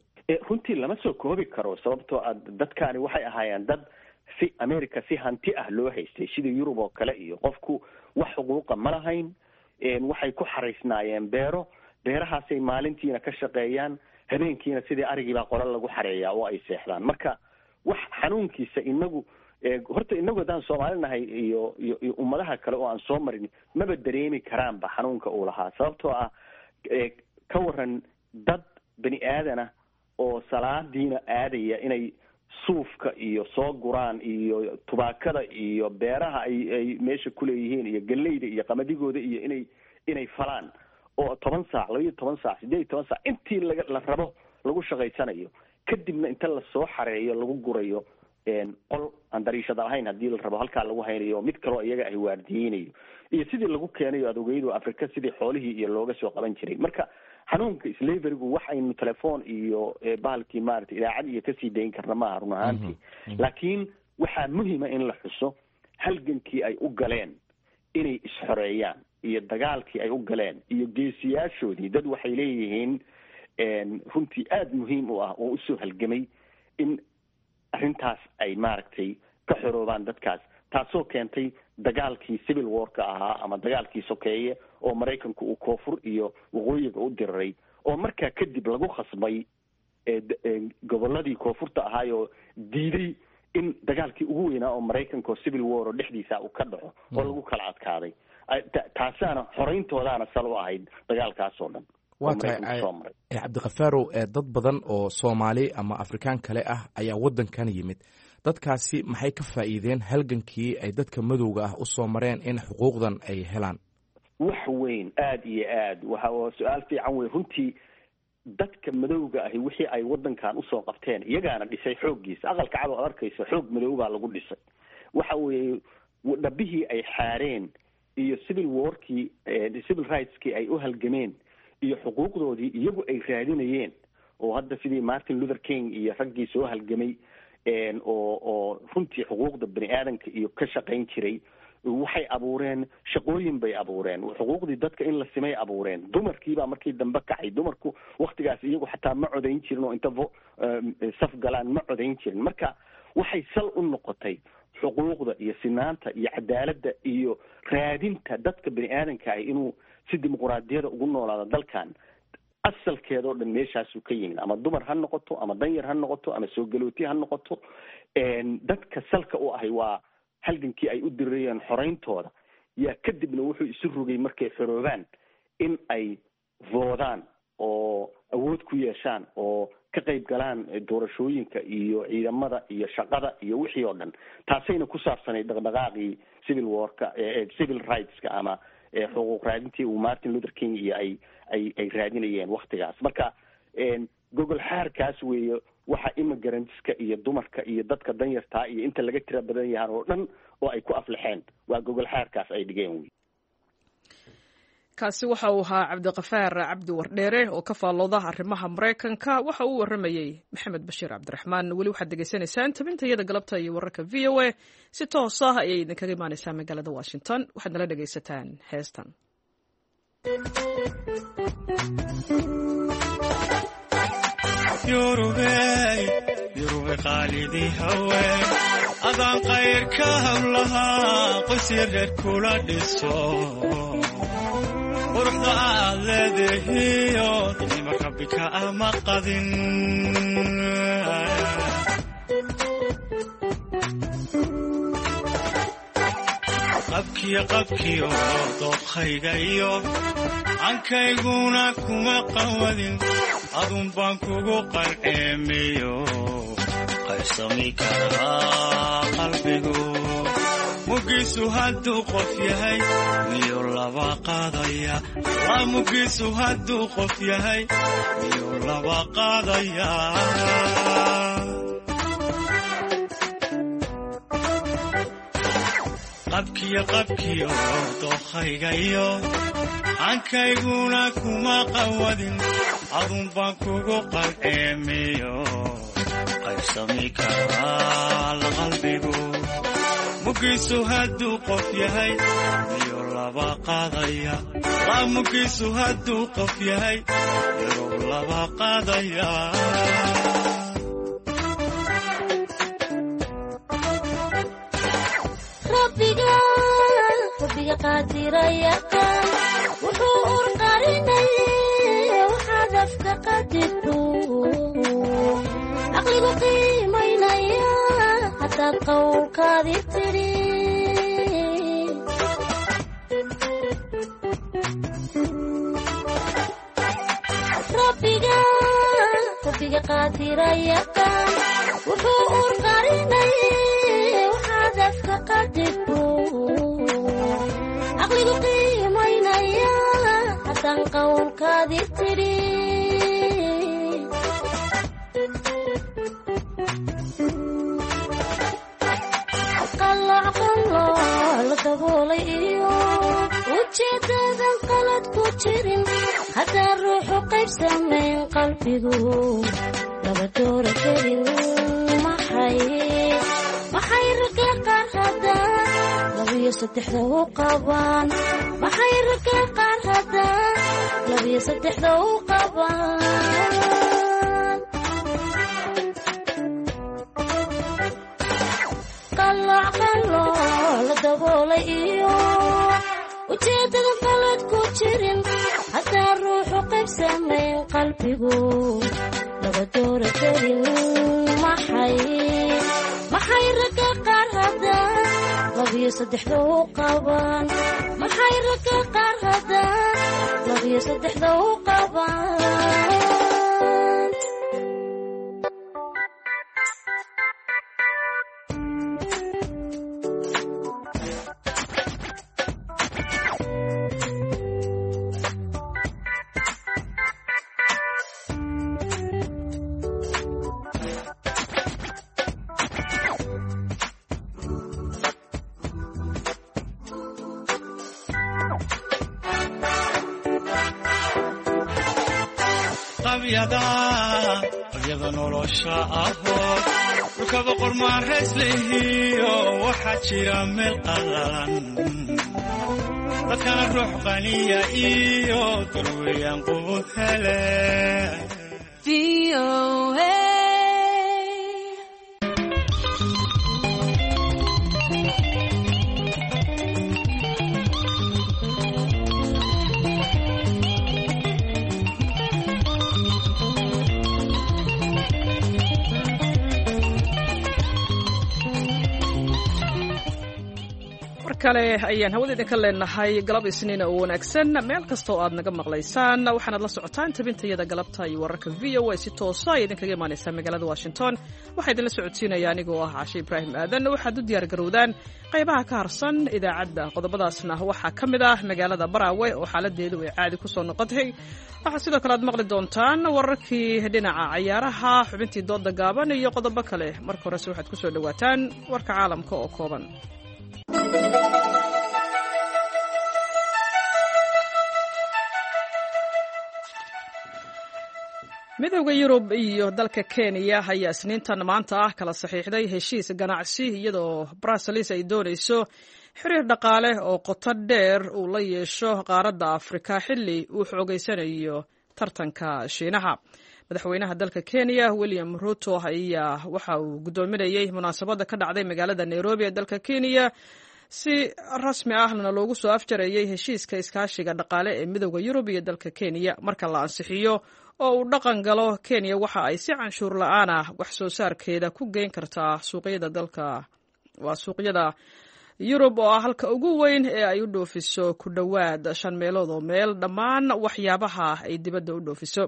Runtii lama soo koobi karo, sababtoo ah dadkaani waxay ahaayeen dad si America si hanti ah loo haystay, sidii Yurub oo kale, iyo qofku wax xuquuqa ma lahayn. Waxay ku xaraysnaayeen beero, beerahaasay maalintiina ka shaqeeyaan, habeenkiina sidii arigiibaa qola lagu xareeyaa oo ay seexdaan. Marka wax xanuunkiisa inagu horta inagu haddaan Soomaali nahay iyo iyo iyo ummadaha kale oo aan soo marin maba dareemi karaanba xanuunka uu lahaa, sababtoo ah ka waran dad bani aadana oo salaadiina aadaya inay suufka iyo soo guraan iyo tubaakada iyo beeraha ay ay meesha kuleeyihiin iyo galleyda iyo qamadigooda iyo inay inay falaan oo toban saac, laba iyo toban saac, siddeed iyo toban saac intii laga la rabo lagu shaqaysanayo, kadibna inta lasoo xareeyo lagu gurayo qol aan dariishada lahayn haddii la rabo, halkaa lagu haynayo mid kaloo iyaga ay waardiyeynayo, iyo sidii lagu keenayo adoogeyadu Afrika sidii xoolihii iyo looga soo qaban jiray. Marka xanuunka slaverygu wax aynu telefoon iyo bahalkii maaragtay idaacad iyo kasii dayn karna maaha run ahaantii, laakiin waxaa muhima in la xuso halgankii ay u galeen inay isxoreeyaan iyo dagaalkii ay u galeen iyo geesiyaashoodii. Dad waxay leeyihiin runtii aada muhiim u ah oo usoo halgamay in arrintaas ay maaragtay ka xoroobaan dadkaas, taasoo keentay dagaalkii Civil Warka ahaa ama dagaalkii sokeeye oo Maraykanku uu koonfur iyo waqooyiga u diriray, oo markaa kadib lagu khasbay gobolladii koonfurta ahaayoo diiday in dagaalkii ugu weynaa oo Maraykanka oo Civil War oo dhexdiisa uu ka dhaco oo lagu kala adkaaday. Taasaana xorayntoodaana sal u ahayd dagaalkaas oo dhan. Waa tahay Cabdikafaarow, dad badan oo Soomaali ama Afrikaan kale ah ayaa waddankan yimid. Dadkaasi maxay ka faa'iideen halgankii ay dadka madowga ah usoo mareen in xuquuqdan ay helaan? Wax weyn, aada iyo aad. Waxa su-aal fiican wey runtii. Dadka madowga ahi wixii ay waddankan usoo qabteen, iyagaana dhisay xooggiisa. Aqalka Cad oo ad arkayso xoog madow baa lagu dhisay. Waxa weeye dhabihii ay xaareen iyo civil warkii, civil rightskii ay u halgameen iyo xuquuqdoodii iyagu ay raadinayeen, oo hadda sidii Martin Luther King iyo raggii soo halgamay oo oo runtii xuquuqda bani aadanka iyo ka shaqayn jiray. Waxay abuureen shaqooyin bay abuureen, xuquuqdii dadka in la simay abuureen. Dumarkiibaa markii dambe kacay. Dumarku waktigaas iyagu xataa ma codayn jirin oo inta saf galaan ma codayn jirin. Marka waxay sal u noqotay xuquuqda iyo sinaanta iyo cadaaladda iyo raadinta dadka bini aadanka ah inuu si dimuquraadiyada ugu noolaado dalkan. Asalkeedoo dhan meeshaasuu ka yimid, ama dumar ha noqoto, ama danyar ha noqoto, ama soo galooti ha noqoto. Dadka salka u ahay waa halgankii ay u dirirayeen xoreyntooda. Yaa kadibna wuxuu isu rogay markay xoroobaan in ay voodaan oo awood ku yeeshaan oo ka qayb galaan doorashooyinka iyo ciidamada iyo shaqada iyo wixii oo dhan. Taasayna ku saabsanayd dhaqdhaqaaqii civil warka, civil rightska ama xuquuq raadintii uu Martin Luther King iyo ay ay ay raadinayeen waktigaas. Marka gogol xaarkaas weeye waxa immigrantska iyo dumarka iyo dadka danyartaa iyo inta laga tira badan yahaan oo dhan oo ay ku aflaxeen, waa gogol xaarkaas ay dhigeen wey. Kaasi waxa uu ahaa Cabdiqafaar Cabdi Wardheere oo ka faallooda arrimaha Maraykanka. Waxa uu warramayey Maxamed Bashiir Cabdiraxmaan. Weli waxaad degeysanaysaan tabintayada galabta iyo wararka V O A, si toos ah ayay idinkaga imaaneysaa magaalada Washington. Waxaad nala dhegaysataan heestan. Adaan qayrka hablahaa qoysya reer kula dhiso, quruxda aad leedahiyo nicmo Rabbi ka ama qadin. Qabkiyo qabkiyo dookhayga iyo cankayguna kuma qawadin, adun baan kugu qalceemiyo qaybsami karaa qalbigu. Mugiisu hadduu qof yahay miyuu laba qaadaya? Mugiisu hadduu qof yahay miyuu laba qaadaya? Qabkiyo qabkiyo dookhayga iyo cankayguna kuma qawadin, adun baan kugu qalceemiyo qaybsami karaa qalbigu. Mugiisu hadduu qof yahay miyuu laba qaadaya? Mugiisu hadduu qof yahay miyuu laba qaadaya? Rabbiga qaadirayaqaan wuxuu urqarinaye waxaad afka qadirto, caqligu qiimaynaya haddaad qowlkaadi tidhi. Rabbiga Rabbiga qaadirayaqaan wuxuu urqarinaye waxaad afka qadirto, caqligu qiimaynaya haddaan qowlkaadi tidhi. Qalooc qalooc la daboolay iyo ujeedadan qalad ku jirin, haddaan ruuxu qayb samayn qalbigu laba doora kelin. Maxay maxay ragga qaar haddaan labiyo saddexda u qabaan? Maxay ragga qaar haddaan labiyo saddexda u qabaan? Qalooc qalooc la daboolay iyo ujeedadan qalad ku jirin, haddaan ruuxu qayb samayn qalbigu laba doora kelin. Maxay maxay ragga qaar haddaan labiyo saddexda u qabaan? Maxay ragga qaar haddaan labiyo saddexda u qabaan? Qabyada qabyada nolosha aho dhulka boqor maarayslehiyo waxaa jira meel qallalan dadkana ruux qaniya iyo darweeyaan quud hele. Kale ayaan hawada idinka leenahay galab isniin oo wanaagsan meel kasta oo aad naga maqlaysaan. Waxaanaad la socotaan tabintayada galabta iyo wararka V O A si toosa ay idinkaga imaanaysaa magaalada Washington. Waxaa idinla socodsiinaya anigoo ah Cashe Ibraahim Aadan. Waxaad u diyaar garowdaan qaybaha ka harsan idaacadda. Qodobadaasna waxaa ka mid ah magaalada Baraawe oo xaaladeedu ay caadi ku soo noqotay. Waxaa sidoo kale aad maqli doontaan wararkii dhinaca cayaaraha, xubintii dooda gaaban iyo qodobo kale. Marka horese waxaad ku soo dhowaataan warka caalamka oo kooban. Midowda Yurub iyo dalka Kenya ayaa isniintan maanta ah kala saxiixday heshiis ganacsi, iyadoo Brussels ay doonayso xiriir dhaqaale oo qoto dheer uu la yeesho qaaradda Afrika xilli uu xoogeysanayo tartanka Shiinaha. Madaxweynaha dalka Kenya William Ruto ayaa waxa uu guddoominayey munaasabadda ka dhacday magaalada Nairobi ee dalka Kenya si rasmi ahna loogu soo afjarayey heshiiska iskaashiga dhaqaale ee Midowda Yurub iyo dalka Kenya. Marka la ansixiyo oo uu dhaqan galo, Kenya waxa ay si canshuur la-aan ah wax soo saarkeeda ku geyn kartaa suuqyada dalka, waa suuqyada Yurub oo ah halka ugu weyn ee ay u dhoofiso ku dhowaad shan meelood oo meel dhammaan waxyaabaha ay dibadda u dhoofiso.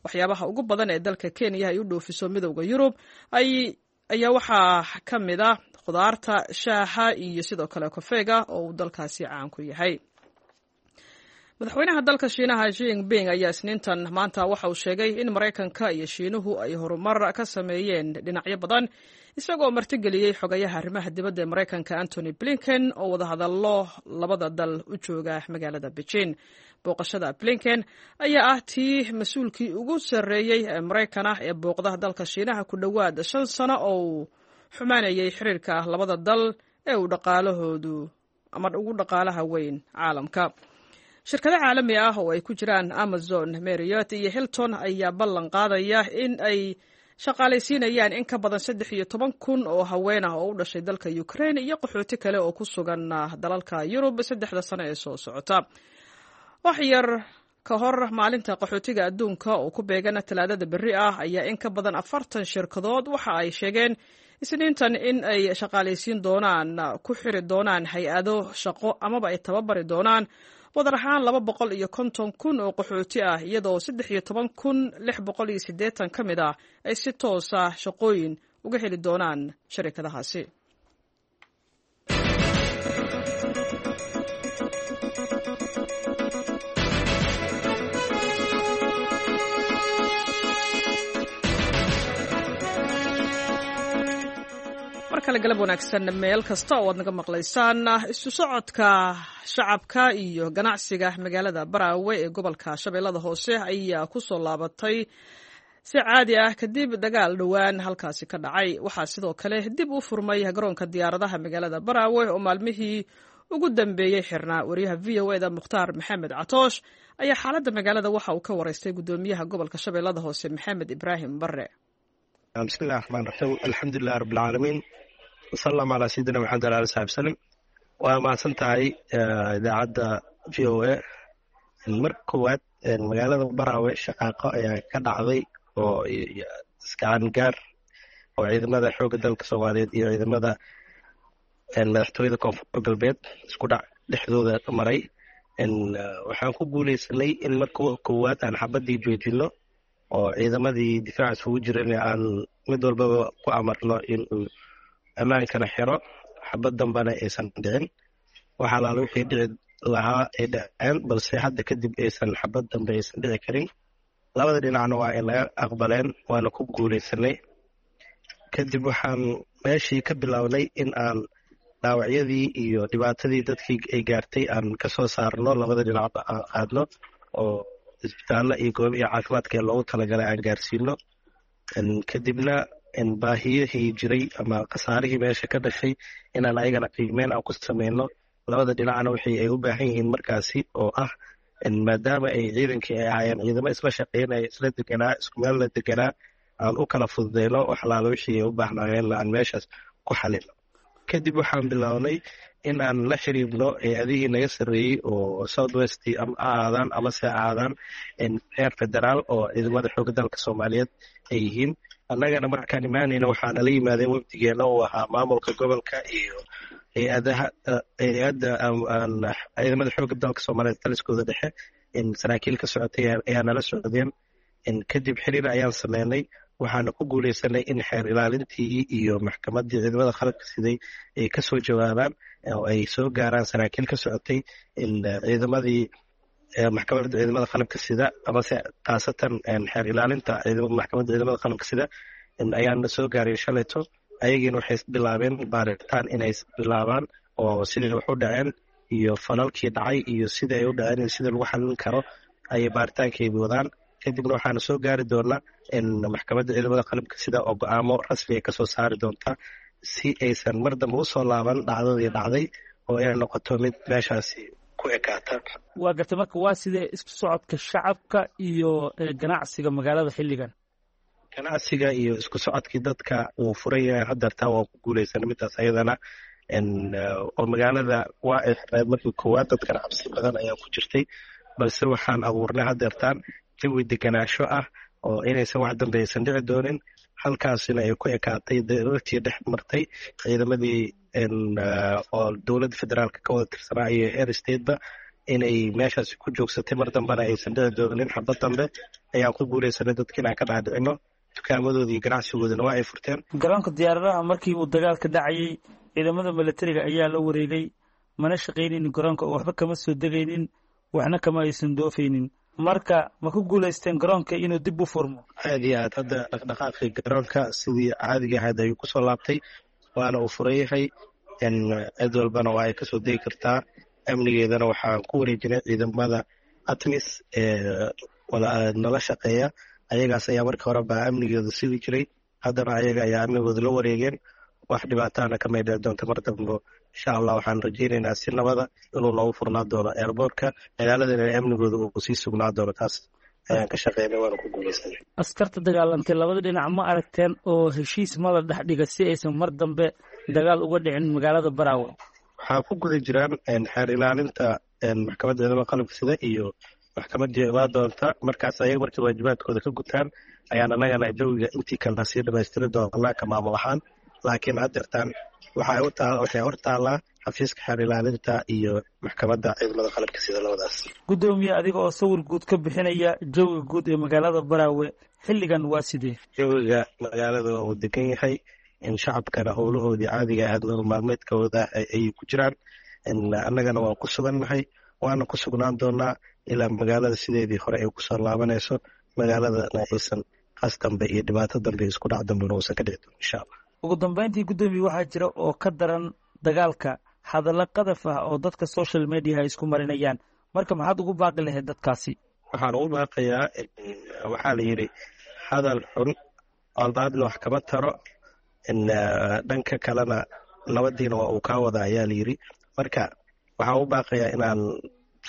Waxyaabaha ugu badan ee dalka Kenya ay u dhoofiso Midowda Yurub ayaa waxaa ka mid ah khudaarta, shaaha iyo sidoo kale kofeega oo uu dalkaasi caan ku yahay. Madaxweynaha dalka Shiinaha Xi Jinping ayaa isniintan maanta waxa uu sheegay in Maraykanka iyo Shiinuhu ay horumar ka sameeyeen dhinacyo badan, isagoo martigeliyey xogayaha arrimaha dibadda ee Maraykanka Antony Blinken oo wadahadallo labada dal u jooga magaalada Beijing. Booqashada Blinken ayaa ah tii mas-uulkii ugu sarreeyey ee Maraykan ah ee booqda dalka Shiinaha ku dhowaad shan sano oo uu xumaanayay xiriirka labada dal ee uu dhaqaalahoodu ama ugu dhaqaalaha weyn caalamka. Shirkado caalami ah oo ay ku jiraan Amazon, Marriott iyo Hilton ayaa ballan qaadaya in ay shaqaalaysiinayaan in ka badan saddex iyo toban kun oo haween ah oo u dhashay dalka Ukraine iyo qaxooti kale oo ku sugan dalalka Yurub saddexda sano ee soo socota. Wax yar ka hor maalinta qaxootiga adduunka oo ku beegan Talaadada berri ah ayaa in ka badan afartan shirkadood waxa ay sheegeen isniintan in ay shaqaalaysiin doonaan, ku xiri doonaan hay-ado shaqo amaba ay tababari doonaan wadar ahaan laba boqol iyo konton kun oo qaxooti ah, iyadoo saddex iyo toban kun lix boqol iyo siddeetan ka mid ah ay si toosa shaqooyin uga heli doonaan sharikadahaasi. Markale galab wanaagsan meel kasta oo aad naga maqlaysaan. Isu socodka shacabka iyo ganacsiga magaalada Baraawe ee gobolka Shabeellada Hoose ayaa ku soo laabatay si caadi ah kadib dagaal dhowaan halkaasi ka dhacay. Waxaa sidoo kale dib u furmay garoonka diyaaradaha magaalada Baraawe oo maalmihii ugu dambeeyey xirnaa. Wariyaha V O E da Mukhtaar Maxamed Catoosh ayaa xaaladda magaalada waxa uu ka waraystay guddoomiyaha gobolka Shabeellada Hoose Maxamed Ibraahim Barre. Bismillahi raxmaan raxiim, alxamdulilah rabbilcaalamiin, wasalam calaa sayidina maxamed ala ali saxbi salim. Waa mahadsan tahay idaacadda V O A. Marka koowaad, magaalada Baraawe shaqaaqo ayaa ka dhacday oo iskacan gaar oo ciidamada xoogga dalka Soomaaliyeed iyo ciidamada madaxtooyada Koonfur Galbeed isku dhac dhexdooda maray. Waxaan ku guuleysanay in marka koowaad aan xabadii joojino oo ciidamadii difaaca isugu jiran aan mid walbaba ku amarno inuu ammaankana xiro, xabad dambana aysan dhicin. Waxa alaala wixii dhici lahaa ay dhaceen, balse hadda kadib aysan xabad dambe aysan dhici karin. Labada dhinacna waa ay laga aqbaleen, waana ku guuleysanay. Kadib waxaan meeshii ka bilownay in aan dhaawacyadii iyo dhibaatadii dadkii ay gaartay aan kasoo saarno, labada dhinacba aan qaadno oo Isbitaallo iyo goob iyo caafimaadka ee loogu talagalay aan gaarsiino. Kadibna baahiyihii jiray ama khasaarihii meesha ka dhashay inaan ayagana qiimeyn aan ku sameyno, labada dhinacna wixii ay u baahan yihiin markaasi, oo ah maadaama ay ciidankii ay ahaayeen ciidamo isla shaqeynaya, isla deganaa, isku meel la deganaa, aan u kala fududeyno wax alaala wixii ay u baahnaayeen, aan meeshaas ku xalino. Kadib waxaan bilownay in aan la xiriirno hay-adihii naga sarreeyey oo South West ama ahaadaan amase ahaadaan heer federaal, oo ciidamada xoogga dalka Soomaaliyeed ay yihiin. Annagana markaan imaanayna waxaa nala yimaadeen wafdigeena uu ahaa maamulka gobolka iyo hay-adaha, hay-adda ciidamada xoogga dalka Soomaaliyeed taliskooda dhexe, saraakiil ka socotay ayaa nala socdeen. Kadib xiriir ayaan sameynay, waxaana ku guuleysanay in xeer ilaalintii iyo maxkamaddii ciidamada qalabka siday ay kasoo jawaabaan oo ay soo gaaraan saraakiil ka socotay ciidamadii, maxkamadda ciidamada qalabka sida, amase khaasatan xeer ilaalinta maxkamadda ciidamada qalabka sida ayaana soo gaaray shalayto. Ayagiina waxay bilaabeen baaritaan inay bilaabaan oo sidai wax u dhaceen iyo falalkii dhacay iyo sida ay u dhaceen iyo sida lagu xalin karo ayay baaritaankaybi wadaan. Kadibna waxaana soo gaari doonaa maxkamadda ciidamada qalabka sida oo go-aamo rasmi ay kasoo saari doontaa, si aysan mar dambe usoo laaban dhacdadii dhacday oo ay noqoto mid meeshaasi ku ekaata. Waa gartay. Marka waa sidee isku socodka shacabka iyo ganacsiga magaalada xilligan? Ganacsiga iyo isku socodkii dadka wuu furan yahay hadeertaa, waan ku guuleysanay midaas ayadana. Oo magaalada waa ay xirneed markii koowaad, dadkana cabsi badan ayaa ku jirtay, balse waxaan abuurnay hadeertaan jawi deganaasho ah oo inaysan wax dambe aysan dhici doonin, halkaasina ay ku ekaatay darartii dhex martay ciidamadii oo dowladda federaalka ka wada tirsanaa iyo heer stateba, inay meeshaasi ku joogsatay, mar dambena aysan dhici doonin xabad dambe ayaan ku guuleysanay dadka inaan ka dhaadhicino. Dukaamadooda iyo ganacsigoodana waa ay furteen. Garoonka diyaaradaha markii uu dagaalka dhacayay ciidamada milatariga ayaa la wareegay, mana shaqaynaynin garoonka oo waxba kama soo degaynin, waxna kama aysan doofaynin. Marka ma ku guulaysteen garoonka inuu dib u furmo? Aad iyo aad, hadda dhaqdhaqaaqii garoonka sidii caadiga ahayd ayuu kusoo laabtay, waana uu furan yahay, cid walbana waa ay kasoo degi kartaa. Amnigeedana waxaan ku wareejinay ciidamada ATMIS ee nala shaqeeya. Ayagaas ayaa markii hore baa amnigeedu sidi jiray, haddana ayaga ayaa amnigooda la wareegeen. Wax dhibaatana kamay dhici doonta mar dambo, insha Allah. Waxaan rajeynaynaa si nabada inuu noogu furnaa doono airportka, magaaladana amnigooda uu sii sugnaa doono. Taas ayaan ka shaqeynay, waana ku guuleysanay. Askarta dagaalantay labada dhinac ma aragteen oo heshiis ma la dhex dhiga si aysan mar dambe dagaal uga dhicin magaalada Baraawe? Waxaa ku guda jiraan xeer ilaalinta maxkamadda ciidamada qalabka sida iyo maxkamadii imaa doonta. Markaas ayaga markii waajibaadkooda ka gutaan ayaan annagana jawiga intii kalena sii dhamaystiri doonaa ka maamul ahaan, laakiin hadeertaan waxay hor taallaa xafiiska xeer ilaalinta iyo maxkamadda ciidamada qalabka sida labadaas. Guddoomiye, adiga oo sawir guud ka bixinaya jawiga guud ee magaalada Baraawe xilligan waa sidee? Jawiga magaalada uu degan yahay, shacabkana howlahoodii caadiga ahayd, nolol maalmeedkooda ayay ku jiraan. Annagana waan ku sugannahay, waana ku sugnaan doonaa ilaa magaalada sideedii hore ay kusoo laabanayso, magaaladana aysan qas dambe iyo dhibaato dambe, isku dhac dambena uusan ka dhici doonin, insha Allah. Ugu dambeyntii, guddoomiye, waxaa jira oo ka daran dagaalka hadallo qadaf ah oo dadka social media ay isku marinayaan. Marka maxaad ugu baaqi lahayd dadkaasi? Waxaan ugu baaqayaa, waxaa la yidhi hadal xun coldaadna wax kama taro, dhanka kalena nabadiina waa uu kaa wada, ayaa la yidhi. Marka waxaan u baaqayaa inaan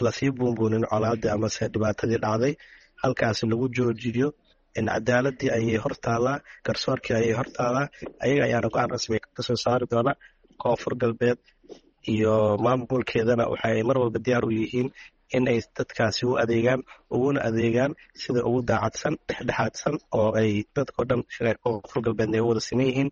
lasii buunbuunin colaadii amase dhibaatadii dhacday, halkaasi lagu joojiyo. Cadaaladii ayay hor taallaa, garsoorkii ayay hor taallaa, ayaga ayaana go-aan rasmi kasoo saari doona. Koonfur Galbeed iyo maamulkeedana waxay mar walba diyaar u yihiin in ay dadkaasi u adeegaan, uguna adeegaan sida ugu daacadsan, dhexdhexaadsan, oo ay dadkao dhan reer Koonfur Galbeedna ay u wada siman yihiin.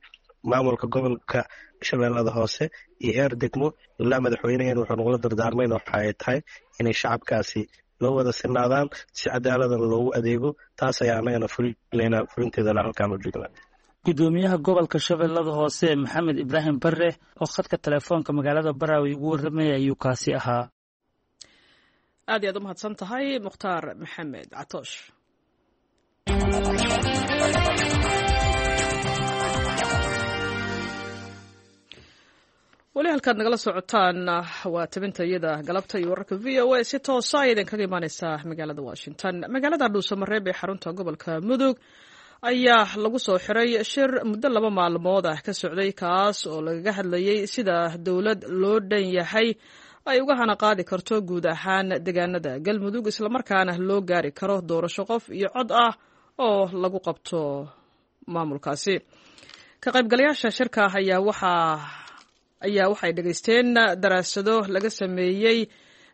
Maamulka gobolka Shabeellada Hoose iyo heer degmo ilaa madaxweyneheen wuxuu nagula dardaarmayna waxa ay tahay inay shacabkaasi loo wada sinaadaan, si cadaaladan loogu adeego. Taas ayaa annagana fulinayna, fulinteedana halkaan u joognaa. Guddoomiyaha gobolka Shabeellada Hoose Maxamed Ibraahim Barre oo khadka telefoonka magaalada Baraawe ugu warramaya ayuu kaasi ahaa. Aad iyaad u mahadsan tahay, Mukhtaar Maxamed Catoosh. Weli halkaad nagala socotaan waa tabinta iyada galabta iyo wararka V O A, si toosa ay idinkaga imaaneysaa magaalada Washington. Magaalada Dhuusamareeb ee xarunta gobolka Mudug ayaa lagu soo xiray shir muddo laba maalmood ah ka socday, kaas oo lagaga hadlayey sida dowlad loo dhan yahay ay uga hana qaadi karto guud ahaan deegaanada Galmudug, islamarkaana loo gaari karo doorasho qof iyo cod ah oo lagu qabto maamulkaasi. Ka qaybgalayaasha shirka ayaa waxaa ayaa waxay dhegaysteen daraasado laga sameeyey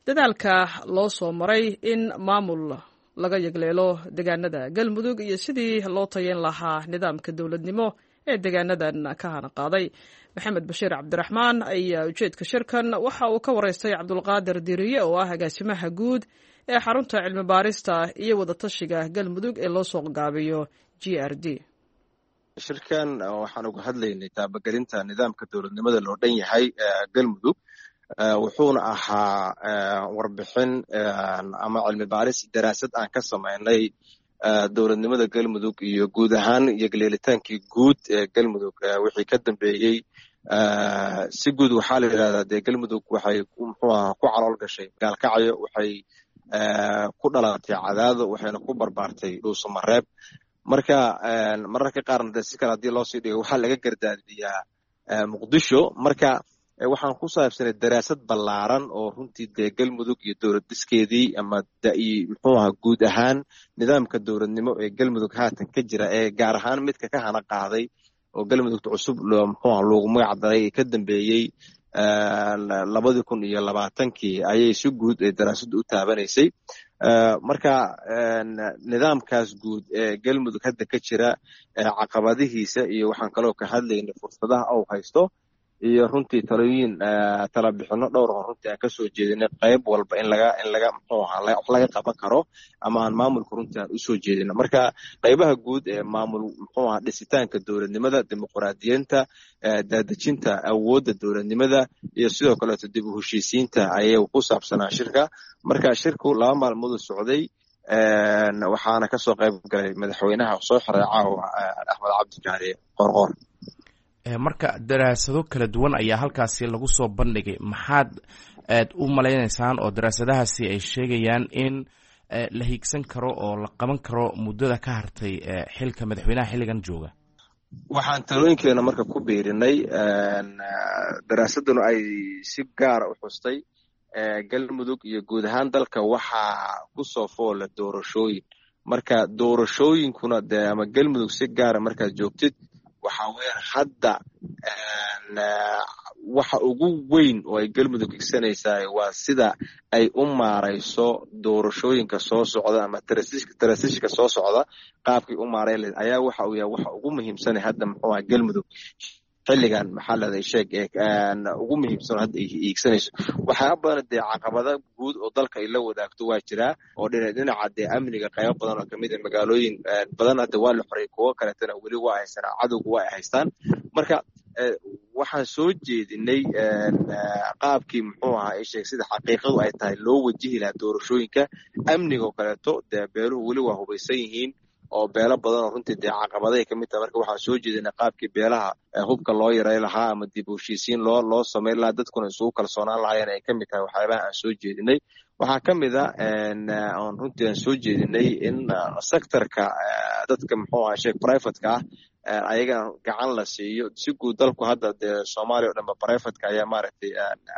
dadaalka loo soo maray in maamul laga yegleelo deegaanada Galmudug iyo sidii loo tayeyn lahaa nidaamka dowladnimo ee deegaanadan ka hana qaaday. Maxamed Bashiir Cabdiraxmaan ayaa ujeedka shirkan waxa uu ka wareystay Cabdulqaadir Diriye oo ah agaasimaha guud ee xarunta cilmi baarista iyo wadatashiga Galmudug ee loo soo gaabiyo G R D. Shirkan waxaan uga hadlaynay taabagelinta nidaamka dowladnimada loo dhan yahay Galmudug, wuxuuna ahaa warbixin ama cilmi baaris daraasad aan ka samaynay dowladnimada Galmudug iyo guud ahaan iyo galeelitaankii guud ee Galmudug wixii ka dambeeyey. Si guud waxaa la yidhahdaa dee Galmudug waxay muxuu ahaa ku calool gashay Gaalkacyo, waxay ku dhalatay Cadaado, waxayna ku barbaartay Dhuusamareeb. Marka mararka qaarna dee si kale haddii loosii dhigo waxaa laga gardaadiyaa Muqdisho. Marka waxaan ku saabsanay daraasad ballaaran oo runtii dee Galmudug iyo dowlad dhiskeedii ama muxuu ahaa guud ahaan nidaamka dowladnimo ee Galmudug haatan ka jira, ee gaar ahaan midka ka hana qaaday oo Galmudugta cusub muxuu ahaa loogu magac daray ee ka dambeeyey labadii kun iyo labaatankii ayay si guud ee daraasaddu u taabanaysay. Marka nidaamkaas guud ee Galmudug hadda ka jira caqabadihiisa iyo waxaan kaloo ka hadlaynay fursadaha uu haysto iyo runtii talooyin talabixino dhowr oo runtii aan kasoo jeedinay qayb walba in laga in laga muxuu ahaa wax laga qaban karo ama aan maamulka runtii aan usoo jeedino. Marka qaybaha guud ee maamul muxuu ahaa dhisitaanka dowladnimada, dimuqraadiyiinta, daadejinta awoodda dowladnimada iyo sidoo kaleeto dib u heshiisiinta ayay ku saabsanaa shirka. Marka shirku laba maalmood u socday, waxaana kasoo qayb galay madaxweynaha soo xiray caawa Axmed Cabdikaari Qorqor. Marka daraasado kala duwan ayaa halkaasi lagu soo bandhigay, maxaad aad u malaynaysaan oo daraasadahaasi ay sheegayaan in la hiigsan karo oo la qaban karo muddada ka hartay xilka madaxweynaha xilligan jooga? Waxaan talooyinkeena marka ku biirinay daraasaduna ay si gaara u xustay Galmudug iyo guud ahaan dalka waxaa kusoo foola doorashooyin. Marka doorashooyinkuna dee ama Galmudug si gaara markaad joogtid waxaa weeyaan hadda waxa ugu weyn oo ay Galmudug higsanaysaa waa sida ay u maarayso doorashooyinka soo socda ama transitionka soo socda qaabkay u maareyn lahayd ayaa waxa uu yahay waxa ugu muhiimsan hadda muxuu ahaa Galmudug xilligan maxaa leedahay sheeg ee ugu muhiimsan hadda ay hiigsanayso. Waxyaaba badan dee caqabada guud oo dalka ay la wadaagto waa jiraa oo dhinac dhinaca dee amniga qaybo badan oo kamid ah magaalooyin badan hadda waa la xoreeyay, kuwo kaleetana weli waa haysanaa, cadowgu waa ay haystaan. Marka waxaan soo jeedinay qaabkii muxuu ahaa sheeg sida xaqiiqadu ay tahay loo wajihi lahaa doorashooyinka amniga oo kaleeto. Dee beeluhu weli waa hubaysan yihiin oo beelo badan oo runtii dee caqabaday ka mid tahay. Marka waxaan soo jeedinay qaabkii beelaha hubka loo yaray lahaa ama dib u heshiisiin loo loo samayn lahaa, dadkuna isugu kalsoonaan lahaayeen ay ka mid tahay waxyaabaha aan soo jeedinay. Waxaa ka mid a oon runtii aan soo jeedinay in sectorka dadka muxuu ahaa sheeg privateka ah ayagana gacan la siiyo si guud. Dalku hadda dee Soomaaliya oo dhanba privateka ayaa maaragtay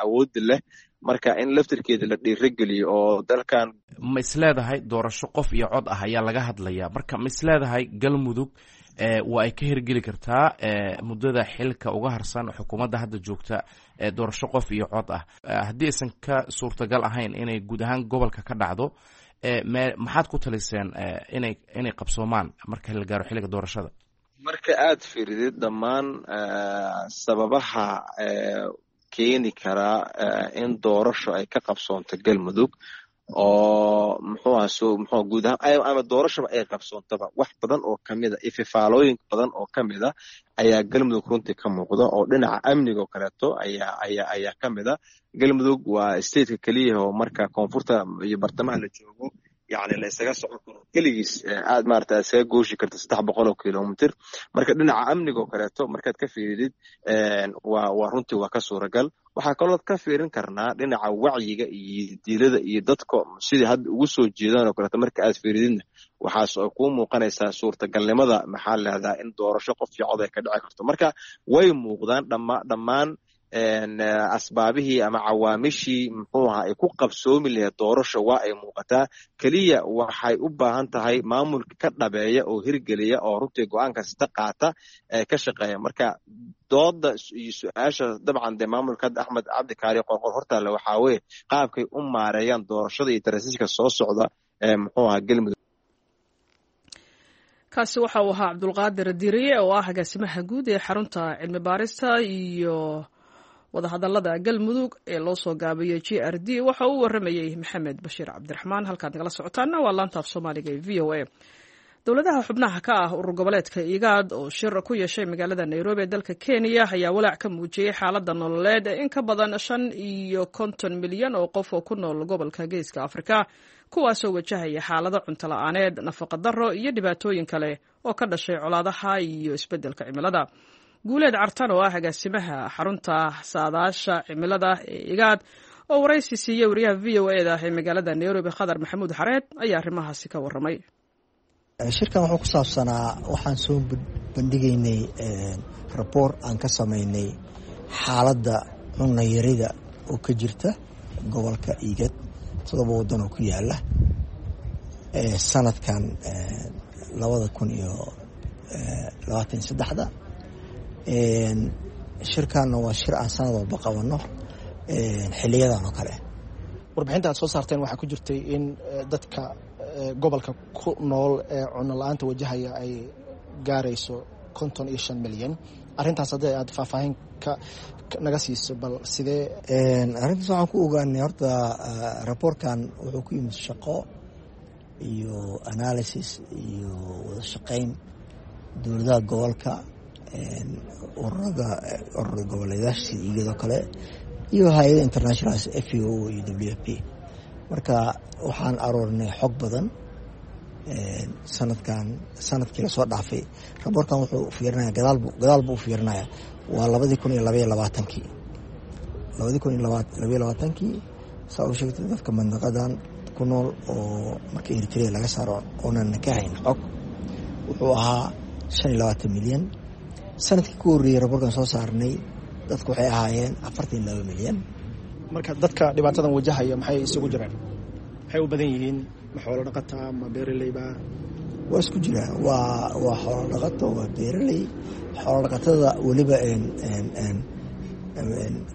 awoodda leh, marka in laftirkeeda la dhiirageliyo oo dalkan. Ma isleedahay doorasho qof iyo cod ah ayaa laga hadlayaa? Marka ma isleedahay Galmudug waa ay ka hirgeli kartaa muddada xilka uga harsan xukuumadda hadda joogta doorasho qof iyo cod ah, haddii aysan ka suurtagal ahayn inay guud ahaan gobolka ka dhacdo, me maxaad ku taliseen inay inay qabsoomaan marka la gaaro xilliga doorashada? Marka aad fiiridid dhammaan sababaha keeni karaa in doorasho ay ka qabsoonto Galmudug oo muxuu ahaa soo muxuu guud ahaan ama doorashaba ay qabsoontaba, wax badan oo kamid a ififaalooyin badan oo kamid a ayaa Galmudug runtii ka muuqda oo dhinaca amniga oo kaleeto ayaa ayaa ayaa kamid a. Galmudug waa stateka keliya oo marka koonfurta iyo bartamaha la joogo yani la isaga socon karo keligiis aad maarata isaga gooshi karto saddex boqol oo kilomitr. Marka dhinaca amniga oo kaleeto markaad ka fiiridid waa waa runtii waa ka suuragal. Waxaa kaloo ka fiirin karnaa dhinaca wacyiga iyo diilada iyo dadka sidii hadda ugu soo jeedaan oo kaleeto marka aad fiirididna waxaas oo kuu muuqanaysaa suurtagalnimada maxaa lahahdaa in doorasho qof iyo cod ay ka dhici karto. Marka way muuqdaan dhamma dhammaan asbaabihii ama cawaamishii muxuu ahaa ay ku qabsoomi lahayd doorasho waa ay muuqataa. Keliya waxay u baahan tahay maamulka ka dhabeeya oo hirgeliya oo runtii go-aan kasta qaata ee ka shaqeeya. Marka dooda iyo su-aasha dabcan dee maamulka hadda Axmed Cabdi Kaari Qorqor hortaale waxaa weye qaabkay u maareeyaan doorashada iyo tarasiiska soo socda ee muxuu ahaa Galmudug. Kaasi waxa uu ahaa Cabdulqaadir Diriye oo ah agaasimaha guud ee xarunta cilmi baarista iyo wadahadalada Galmudug ee loo soo gaabiyey G R D. Waxa uu waramayey Maxamed Bashiir Cabdiraxmaan. Halkaad nagala socotaana waa laanta af Soomaaliga ee V O A. Dowladaha xubnaha ka ah urur goboleedka IGAD oo shir ku yeeshay magaalada Nairobi ee dalka Kenya ayaa walaac ka muujiyey xaaladda nololeed ee in ka badan shan iyo konton milyan oo qof oo ku nool gobolka Geeska Afrika, kuwaasoo wajahaya xaalado cunto la-aaneed, nafaqa darro iyo dhibaatooyin kale oo ka dhashay colaadaha iyo isbeddelka cimilada. Guuleed Cartan oo ah agaasimaha xarunta saadaasha cimilada ee IGAD oo waraysi siiyey wariyaha V O E da ee magaalada Nairobi Khadar Maxamuud Xareed ayaa arrimahaasi ka warramay. Shirkan wuxuu ku saabsanaa waxaan soo bandhigaynay raboor aan ka samaynay xaaladda cunayarida oo ka jirta gobolka IGAD todoba waddan oo ku yaala sanadkan labada kun iyo labaatan iyo saddexda. Shirkanna waa shir aan sanad walba qabano xiliyadan oo kale. Warbixinta aad soo saarteen waxaa ku jirtay in dadka gobolka ku nool ee cunno la-aanta wajahaya ay gaarayso konton iyo shan milyan. Arrintaas haddii aad faahfaahin ka naga siiso bal sidee? Arrintaas waxaan ku ogaanay horta raboorkan wuxuu ku yimid shaqo iyo analysis iyo wada shaqayn dowladaha gobolka, ururada urur goboleedaasha sida IGAD oo kale iyo hay-ada international F A O iyo W F P. Marka waxaan aroornay xog badan sanadkan sanadkii lasoo dhaafay. Raboorkan wuxuu fiirinaya gadaal buu gadaal buu u fiirinaya waa labadii kun iyo labaiyo labaatankii labadii kun iyo labaiyo labaatankii saa u sheegtay dadka mandaqadan ku nool oo marka Eritrea laga saaro oonan ka hayn xog wuxuu ahaa shan iyo labaatan milyan. Sanadkii ku horreeyey raboorkan soo saarnay dadku waxay ahaayeen afartan iyo laba milyan. Marka dadka dhibaatadan wajahaya maxay isugu jiraan? Maxay u badan yihiin? Ma xoolo dhaqataa, ma beeraleyba? Waa isku jiraan, waa waa xoolo dhaqato, waa beeraley. Xoolo dhaqatada weliba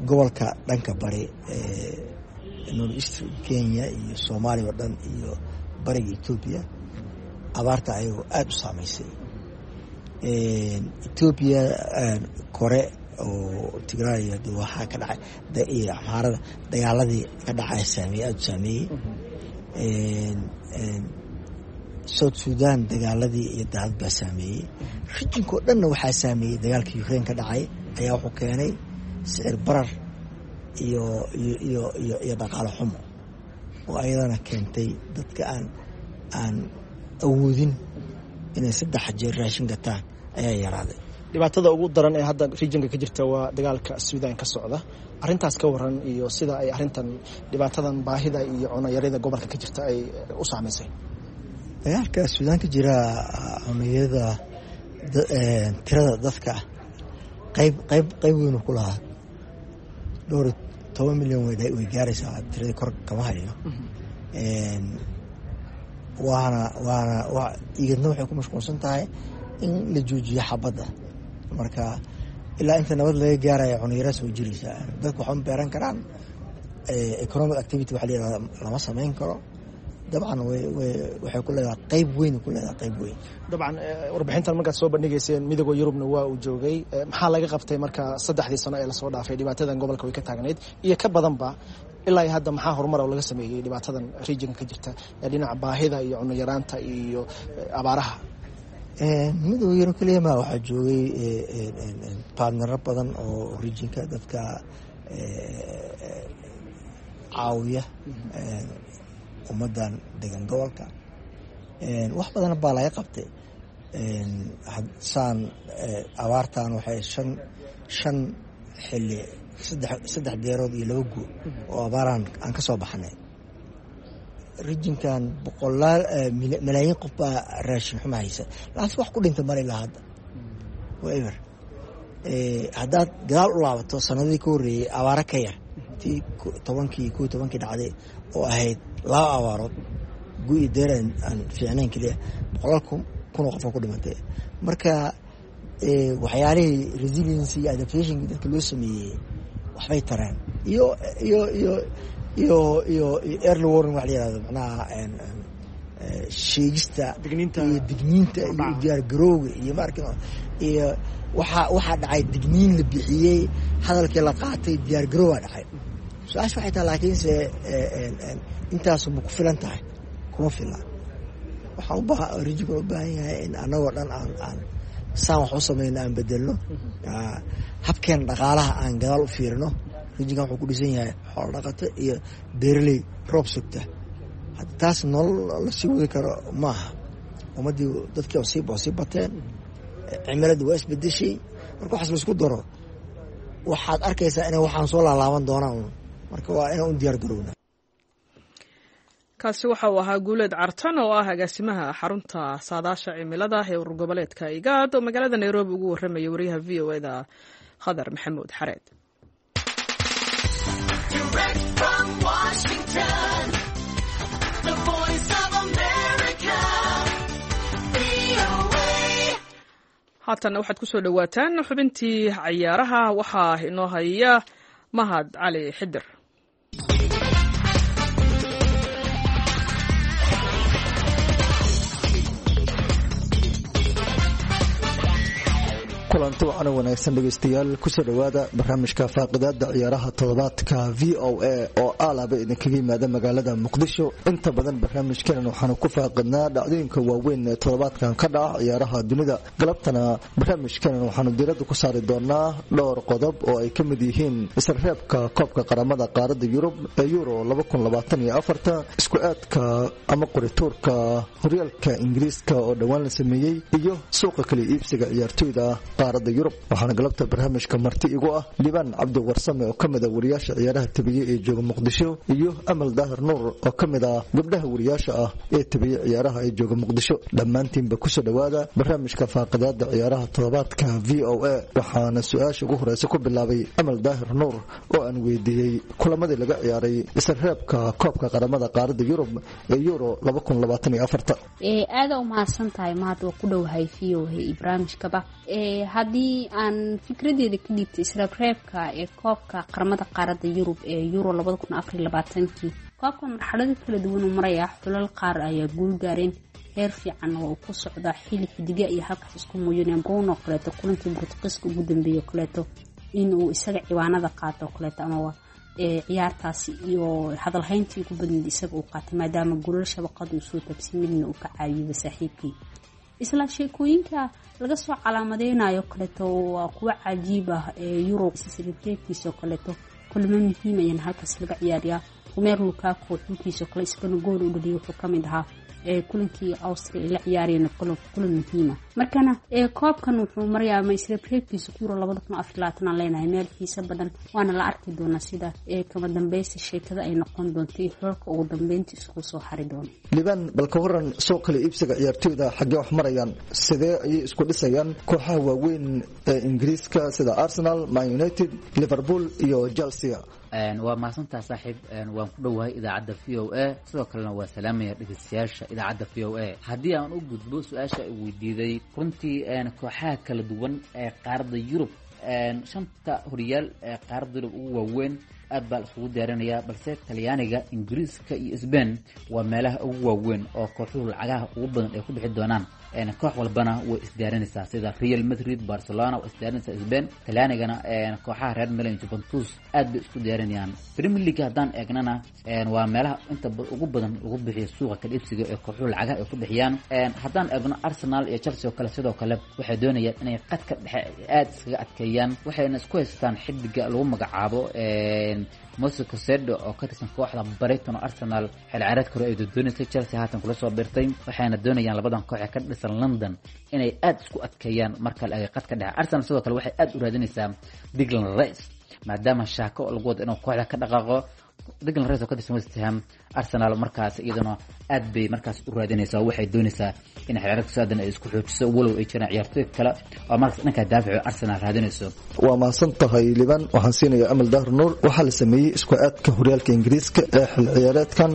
gobolka dhanka bari North East Kenya iyo Soomaaliya oo dhan iyo bariga Etoobiya abaarta ayagoo aada u saameysay. Etoobiya kore oo Tigray waxaa ka dhacay iyo Amxaarada dagaaladii ka dhacay saameeyey aada u saameeyey. South Sudan dagaaladii iyo daadad baa saameeyey. Rijinka oo dhanna waxaa saameeyey dagaalkii Ukraine ka dhacay ayaa wuxuu keenay sicir barar iyo iyo iyo iyo iyo dhaqaale xumo oo ayadana keentay dadka aan aan awoodin inay saddex jeer raashin gataan ayaa yaraaday. Dhibaatada ugu daran ee hadda rijinka ka jirta waa dagaalka Suudaan ka socda. Arrintaas ka waran iyo sida ay arrintan dhibaatadan baahida iyo cunayarida gobolka ka jirta ay u saameysay. Dagaalka Suudaan ka jira cunayarida tirada dadka qayb qayb qayb weyn ku lahaa dhowr toban milyan way gaaraysaa tiradii kor kama hayo. Waana waana IGADna waxay ku mashquulsan tahay in la joojiyo xabadda. Marka ilaa inta nabad laga gaaraya cunayara soo jiraysaa dadku waxba ma beeran karaan. Economic activity waxa la yihahda lama samayn karo. Dabcan way way waxay ku leedahay qayb weyn ku leedahay qayb weyn. Dabcan warbixintan markaad soo bandhigayseen midowga Yurubna waa uu joogay. Maxaa laga qabtay marka saddexdii sano ee lasoo dhaafay dhibaatadan gobolka way ka taagnayd iyo ka badanba ilaa hadda maxaa horumar oo laga sameeyey dhibaatadan regionka ka jirta ee dhinaca baahida iyo cunno yaraanta iyo abaaraha? Midowga Yurub keliya ma waxaa joogay partnero badan oo regionka dadka caawiya Ummaddan degan gobolka wax badan baa laga qabtay. Saan abaartan waxay shan shan xilli, saddex saddex deerood iyo laba guu oo abaaraan aan ka soo baxnay. Regionkan boqolaal malaayiin qof baa raashin xuma haysa, laakiin wax ku dhinta male ilaa hadda, waa eber. Haddaad gadaal u laabato sanadihii ka horreeyey, abaaro ka yar tii tobankii kow tobankii dhacday oo ahayd laba abaarood, gu iyo deer aan fiicnayn keliya, boqolaal kun kun oo qof oo ku dhimatay. Marka waxyaalihii resiliency iyo adaptationkii dadka loo sameeyey waxbay tareen, iyo iyo iyo iyo iyo iyo early warning wax la yihahdo, macnaha sheegista iyo digniinta iyo diyaargarowga iyo maarka iyo waxaa waxaa dhacay digniin la bixiyey, hadalkii la qaatay, diyaargarowaa dhacay. Su-aasha waxay tahay laakiinse intaasu ma ku filan tahay? Kuma fila. Waxaan ubaa regionka u baahan yahay in annagoo dhan aan aan saan wax u samayno, aan bedelno habkeena dhaqaalaha, aan gadaal u fiirino. Regionkan wuxuu ku dhisan yahay xoolo dhaqato iyo beeraley roob sugta. Hadda taas nolol lasii wadi karo maaha. Ummaddii dadkii oo sii oo sii bateen, cimiladii waa isbedeshay. Marka waxaas laisku daro, waxaad arkaysaa inay waxaan soo laalaaban doonaan un. Marka waa inaan u diyaar garowna. Kaasi waxa uu ahaa Guuleed Cartan oo ah agaasimaha xarunta saadaasha cimilada ee urur goboleedka IGAD oo magaalada Nairobi ugu warramaya wariyaha V O E da Khadar Maxamuud Xareed. Direct from Washington, the Voice of America, V O A. Haatanna waxaad ku soo dhowaataan xubintii cayaaraha. Waxaa inoo haya Mahad Cali Xidir. Kulanti wacan oo wanaagsan dhegeystayaal, kusoo dhowaada barnaamijka faaqidaada ciyaaraha toddobaadka V O A oo aalaba idinkaga yimaada magaalada Muqdisho. Inta badan barnaamijkeenan waxaanu ku faaqidnaa dhacdooyinka waaweyn ee toddobaadkan ka dhaca ciyaaraha dunida. Galabtana barnaamijkeenan waxaanu diiradda ku saari doonaa dhowr qodob oo ay ka mid yihiin isreebka koobka qaramada qaaradda Yurub ee Euro isku aadka ama qorituurka horyaalka Ingiriiska oo dhowaan la sameeyey iyo suuqa kala iibsiga ciyaartoyda qaaradda Yurub. Waxaana galabta barnaamijka marti igu ah Liibaan Cabdi Warsame oo kamid ah wariyaasha ciyaaraha tabiye ee jooga Muqdisho iyo Amal Daahir Nuur oo kamid ah gabdhaha wariyaasha ah ee tabiye ciyaaraha ee jooga Muqdisho. Dhammaantiinba kusoo dhowaada barnaamijka faaqidaada ciyaaraha toddobaadka V O A. Waxaana su-aasha ugu horeysa ku bilaabay Amal Daahir Nuur oo aan weydiiyey kulamadii laga ciyaaray isreebka koobka qaramada qaaradda Yurub ee Euro. Aada u mahadsan tahay Mahad, waa ku dhowahay V O A barnaamijkaba. Haddii aan fikradeeda ka dhiibtay israabreebka ee koobka qaramada qaaradda Yurub ee Euro labada kun afariyo labaatankii, koobka marxalado kala duwan uu marayaa. Xulal qaar ayaa guul gaareen, heer fiican oo uu ku socdaa, xili xidiga iyo halkaas isku muujineen. Bruno kaleeto kulankii Bortuqiiska ugu dambeeyey kaleeto inuu isaga ciwaanada qaato kaleeto ama ciyaartaasi iyo hadalhayntii ugu badneyd isaga uu qaatay, maadaama golal shabaqada uu soo taabsay, midna uu ka caawiyaba saaxiibkii. Isla sheekooyinka laga soo calaamadeynayo kaleeto waa kuwo cajiib ah ee Euro reebkiisa oo kaleeto kulmo muhiim ayaan halkaas laga ciyaariyaa. Romelu Lukaku xulkiisa kale isagana gool u dhaliyay, wuxuu kamid ahaa kulankii Austria ay la ciyaarayeen kulan muhiima. Markana koobkan wuxuu marayaa ama isreebreebkiisa Euro labada kun afar labaatan aan leenahay meel xiise badan, waana la arki doonaa sida kama dambeysta sheekada ay noqon doonto iyo xulka ugu dambeynta isku soo hari doono. Liibaan, bal ka waran soo kala iibsiga ciyaartoyda? Xaggee wax marayaan? Sidee ayay isku dhisayaan kooxaha waaweyn ee Ingiriiska sida Arsenal, Man United, Liverpool iyo Chelsea? Waa mahadsantaha saaxiib, waan ku dhowahay idaacadda V O A, sidoo kalena waa salaamaya dhegeystayaasha idaacadda V O A. Haddii aan u gudbo su-aasha ay weydiiday, runtii kooxaha kala duwan ee qaaradda Yurub, shanta horyaal ee qaaradda Yurub ugu waaweyn, aad baa la iskugu diyaarinayaa, balse Talyaaniga, Ingiriiska iyo Sbain waa meelaha ugu waaweyn oo kooxuhu lacagaha ugu badan ay ku bixi doonaan. Koox walbana way isdiyaarinaysaa, sida Real Madrid, Barcelona way isdiyaarinaysaa Sbain. Talyaanigana kooxaha reer Milan, Juventus aad bay isku diyaarinayaan. Premier League haddaan eegnana, waa meelaha inta ugu badan lagu bixiyo suuqa kala iibsiga ee kooxuhu lacagaha ay ku bixiyaan. Haddaan eegno Arsenal iyo Chelsea oo kale, sidoo kale waxay doonayaan inay qadka dhexe aad iskaga adkeeyaan, waxayna isku haystaan xidiga lagu magacaabo Moses Caicedo oo ka tirsan kooxda Brighton oo Arsenal xil ciyaareedka hore ay doonaysay Chelsea haatan kula soo biirtay, waxayna doonayaan labadan koox ee ka dhisan London inay aad isku adkeeyaan marka la eego qadka dhexe. Arsenal sidoo kale waxay aad u raadinaysaa Declan Rice maadaama shaako lagu wado inuu kooxda ka dhaqaaqo. Declan Rice oo ka tirsan West Ham, Arsenal markaas iyaduna aad bay markaas u raadinaysaa oo waxay doonaysaa in xil ciyaareedka soo aadan ay isku xoojiso, walow ay jiraan ciyaartoy kale oo markaas dhanka daafaco Arsenal raadinayso. Waa mahadsan tahay Liban. Waxaan siinayaa Amal Dahir Nuur. Waxaa la sameeyey isku aadka horyaalka Ingiriiska ee xil ciyaareedkan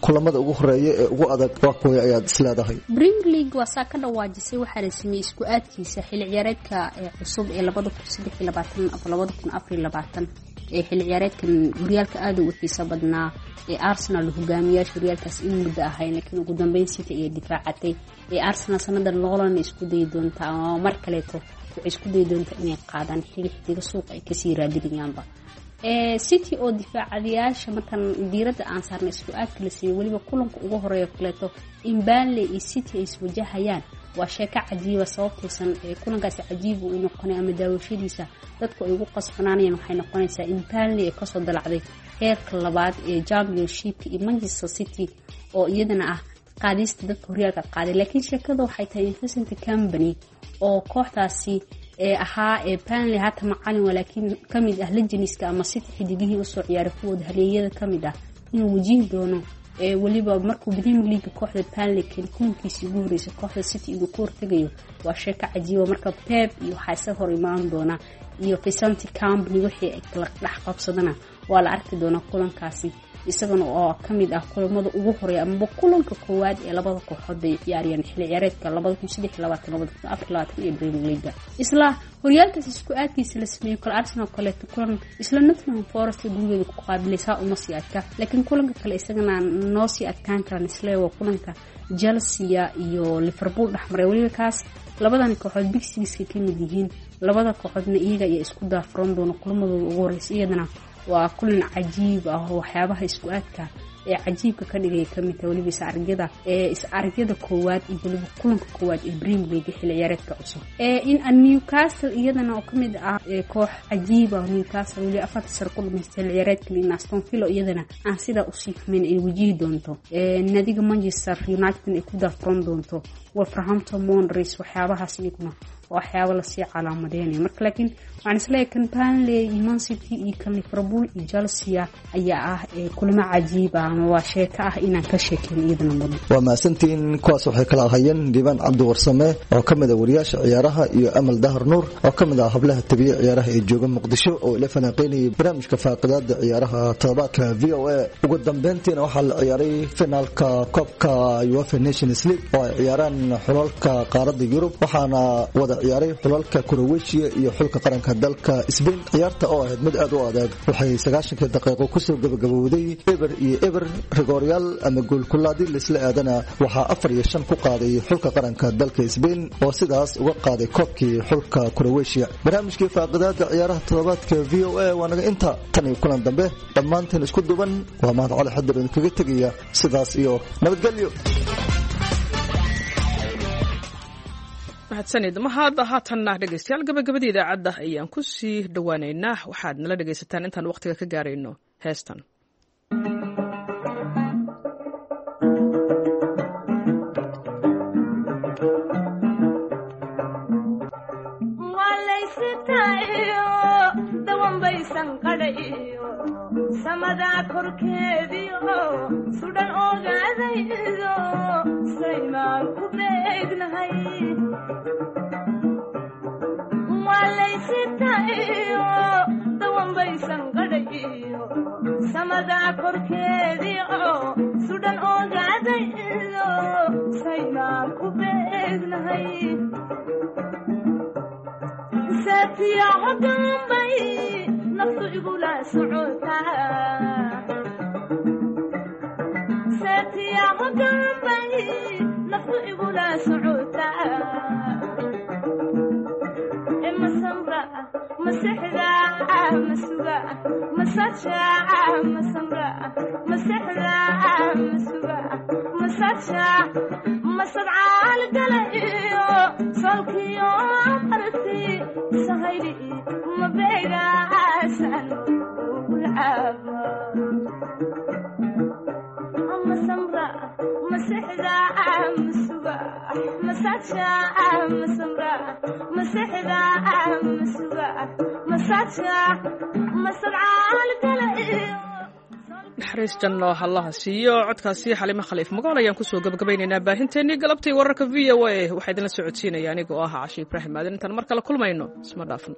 kulamada ugu horeeya ee ugu adag waa kuwa ayaad isleedahay? Premier League waa saa ka dhawaajisay. Waxaa la sameeyey isku aadkiisa xilli ciyaareedka ee cusub ee labada kun saddex iyo labaatan ama labada kun afar iyo labaatan ee xilli ciyaareedkan. Horyaalka aada u xiiso badnaa ee Arsenal hogaamiyaasha horyaalkaas in muddo ahayn, laakiin ugu dambeyn City ayay difaacatay. Ee Arsenal sanadan loolan isku dayi doontaa ama mar kaleeto waxay isku dayi doontaa inay qaadaan xili xidiga suuqa ay kasii raadinayaanba. Ee City oo difaacadayaasha markan diiradda aan saarnay isku aadka la siiyey, weliba kulanka ugu horeeya kaleeto in Burnley iyo City ay iswajahayaan waa sheeko cajiiba. Sababtaysan ee kulankaasi cajiib uu noqonay ama daawashadiisa dadku ay ugu qasbanaanayaan waxay noqonaysaa in Burnley ay kasoo dalacday heerka labaad ee Championship iyo Manchester City oo iyadana ah qaadista dadka horyaalka qaaday. Laakiin sheekada waxay tahay in Vincent Kompany oo kooxdaasi ee ahaa ee Burnley haata macalin waa, laakiin kamid ah legendska ama City xidigihii usoo ciyaaray kuwooda haleeyada kamid ah, inuu wajihi doono ee weliba markuu Premier League kooxda Burnley keen kulankiisii ugu horeysay kooxda City inuu ka hortagayo waa sheeko cajiiba. Marka Pep iyo waxaa isaga hor imaan doona iyo Vincent Kompany wixii ay kala dhex qabsadana waa la arki doonaa kulankaasi, isagana oo kamid ah kulamada ugu horeeya amaba kulanka koowaad ee labada kooxood bay ciyaarayaan xilli ciyaareedka labada kun saddex iyo labaatan labada kun afar iyo labaatan ee Premier League. Isla horyaalkaas isku aadkiisa la sameeyey kale Arsenal kaleeto kulan isla Nottingham Forest gurigeeda ku qaabilaysaa uma sii adka, laakiin kulanka kale isagana noo sii adkaan karaan isle waa kulanka Chelsea iyo Liverpool dhexmaray. Weliba kaas labadan kooxood Big Six ka mid yihiin, labada kooxoodna iyaga ayaa isku daafuran doona kulamadooda ugu horeysa. Iyadana waa kulan cajiib ah oo waxyaabaha isku aadka ee cajiibka ka dhigaya kamid tahay, weliba is-aragyada ee is-aragyada koowaad iyo weliba kulanka koowaad ee Premier League xilli ciyaareedka cusub. Ee in Newcastle iyadana oo kamid ah ee koox cajiib ah, Newcastle weli afarta sar ku dhamaystay xilli ciyaareedkan, in Aston Villa iyadana aan sidaa usii xumayn ay wajihi doonto ee nadiga Manchester United ay ku daafuran doonto Wolverhampton Wanderers. Waxyaabahaas iyaguna waa waxyaabo lasii calaamadeynayo marka, laakiin waxaan isleeyahay kan Burnley iyo Man City iyo kan Liverpool iyo Chelsea ayaa ah ee kulamo cajiib ah ama waa sheeko ah inaan ka sheekeyn iyadana mudan. Waa mahadsantihiin. Kuwaas waxay kala ahayeen Liibaan Cabdi Warsame oo ka mid ah wariyaasha ciyaaraha iyo Amal Dahar Nuur oo ka mid ah hablaha tabiye ciyaaraha ee jooga Muqdisho oo ila falanqeynayay barnaamijka faaqidaada ciyaaraha toddobaadka V O A. Ugu dambeyntiina waxaa la ciyaaray finaalka koobka UEFA Nations League oo ay ciyaaraan xulalka qaaradda Yurub, waxaana wada ciyaaray xulalka Croatia iyo xulka qaranka dalka Spain. Ciyaarta oo ahayd mid aad u adag waxay sagaashankii daqiiqo kusoo gabagabowday eber iyo eber. Rigooryaal ama goolkulaadii laisla aadana waxaa afar iyo shan ku qaaday xulka qaranka dalka Spain oo sidaas uga qaaday koobkii xulka Croatia. Barnaamijkii faaqidaada ciyaaraha toddobaadka V O A waa naga inta tan iyo kulan dambe. Dhammaanteen isku duban waa Mahad Cali Xadir idinkaga tegaya sidaas iyo nabadgelyo. Mahadsanid mahad. Haatanna dhegeystayaal, gabagabadii idaacadda ayaan ku sii dhowaaneynaa. Waxaad nala dhegeysataan intaan waqtiga ka gaarayno heestan. Samadaa korkeediyo sudhan ogaadaydo saymaan ku beegnahay walaysitayo dawanbaysan qadhayiyo samadaa korkeediyo sudhan ogaadaydo saymaan ku beegnahay saatiyaco dambay naftu igula socotaa saatiyaco dambay naftu igula socotaa masamra masexda masuga masaja masamra masexda masuga masaja. masadsha masadcaal gala iyo solkiyo abarti sahayli mabeegaasan ugulcaaba masamra masixda masuga masadsha masamra masixda masuga masadsha masadcaal gala iyo Naxariis janno hallaha siiyo. Codkaasi Xalimo Khaliif Magool ayaan kusoo gabagabaynaynaa baahinteennii galabtay wararka V O A. Waxaa idinla socodsiinaya anigoo ah Cashi Ibraahim Aadan. Intaan mar kale kulmayno, isma dhaafno.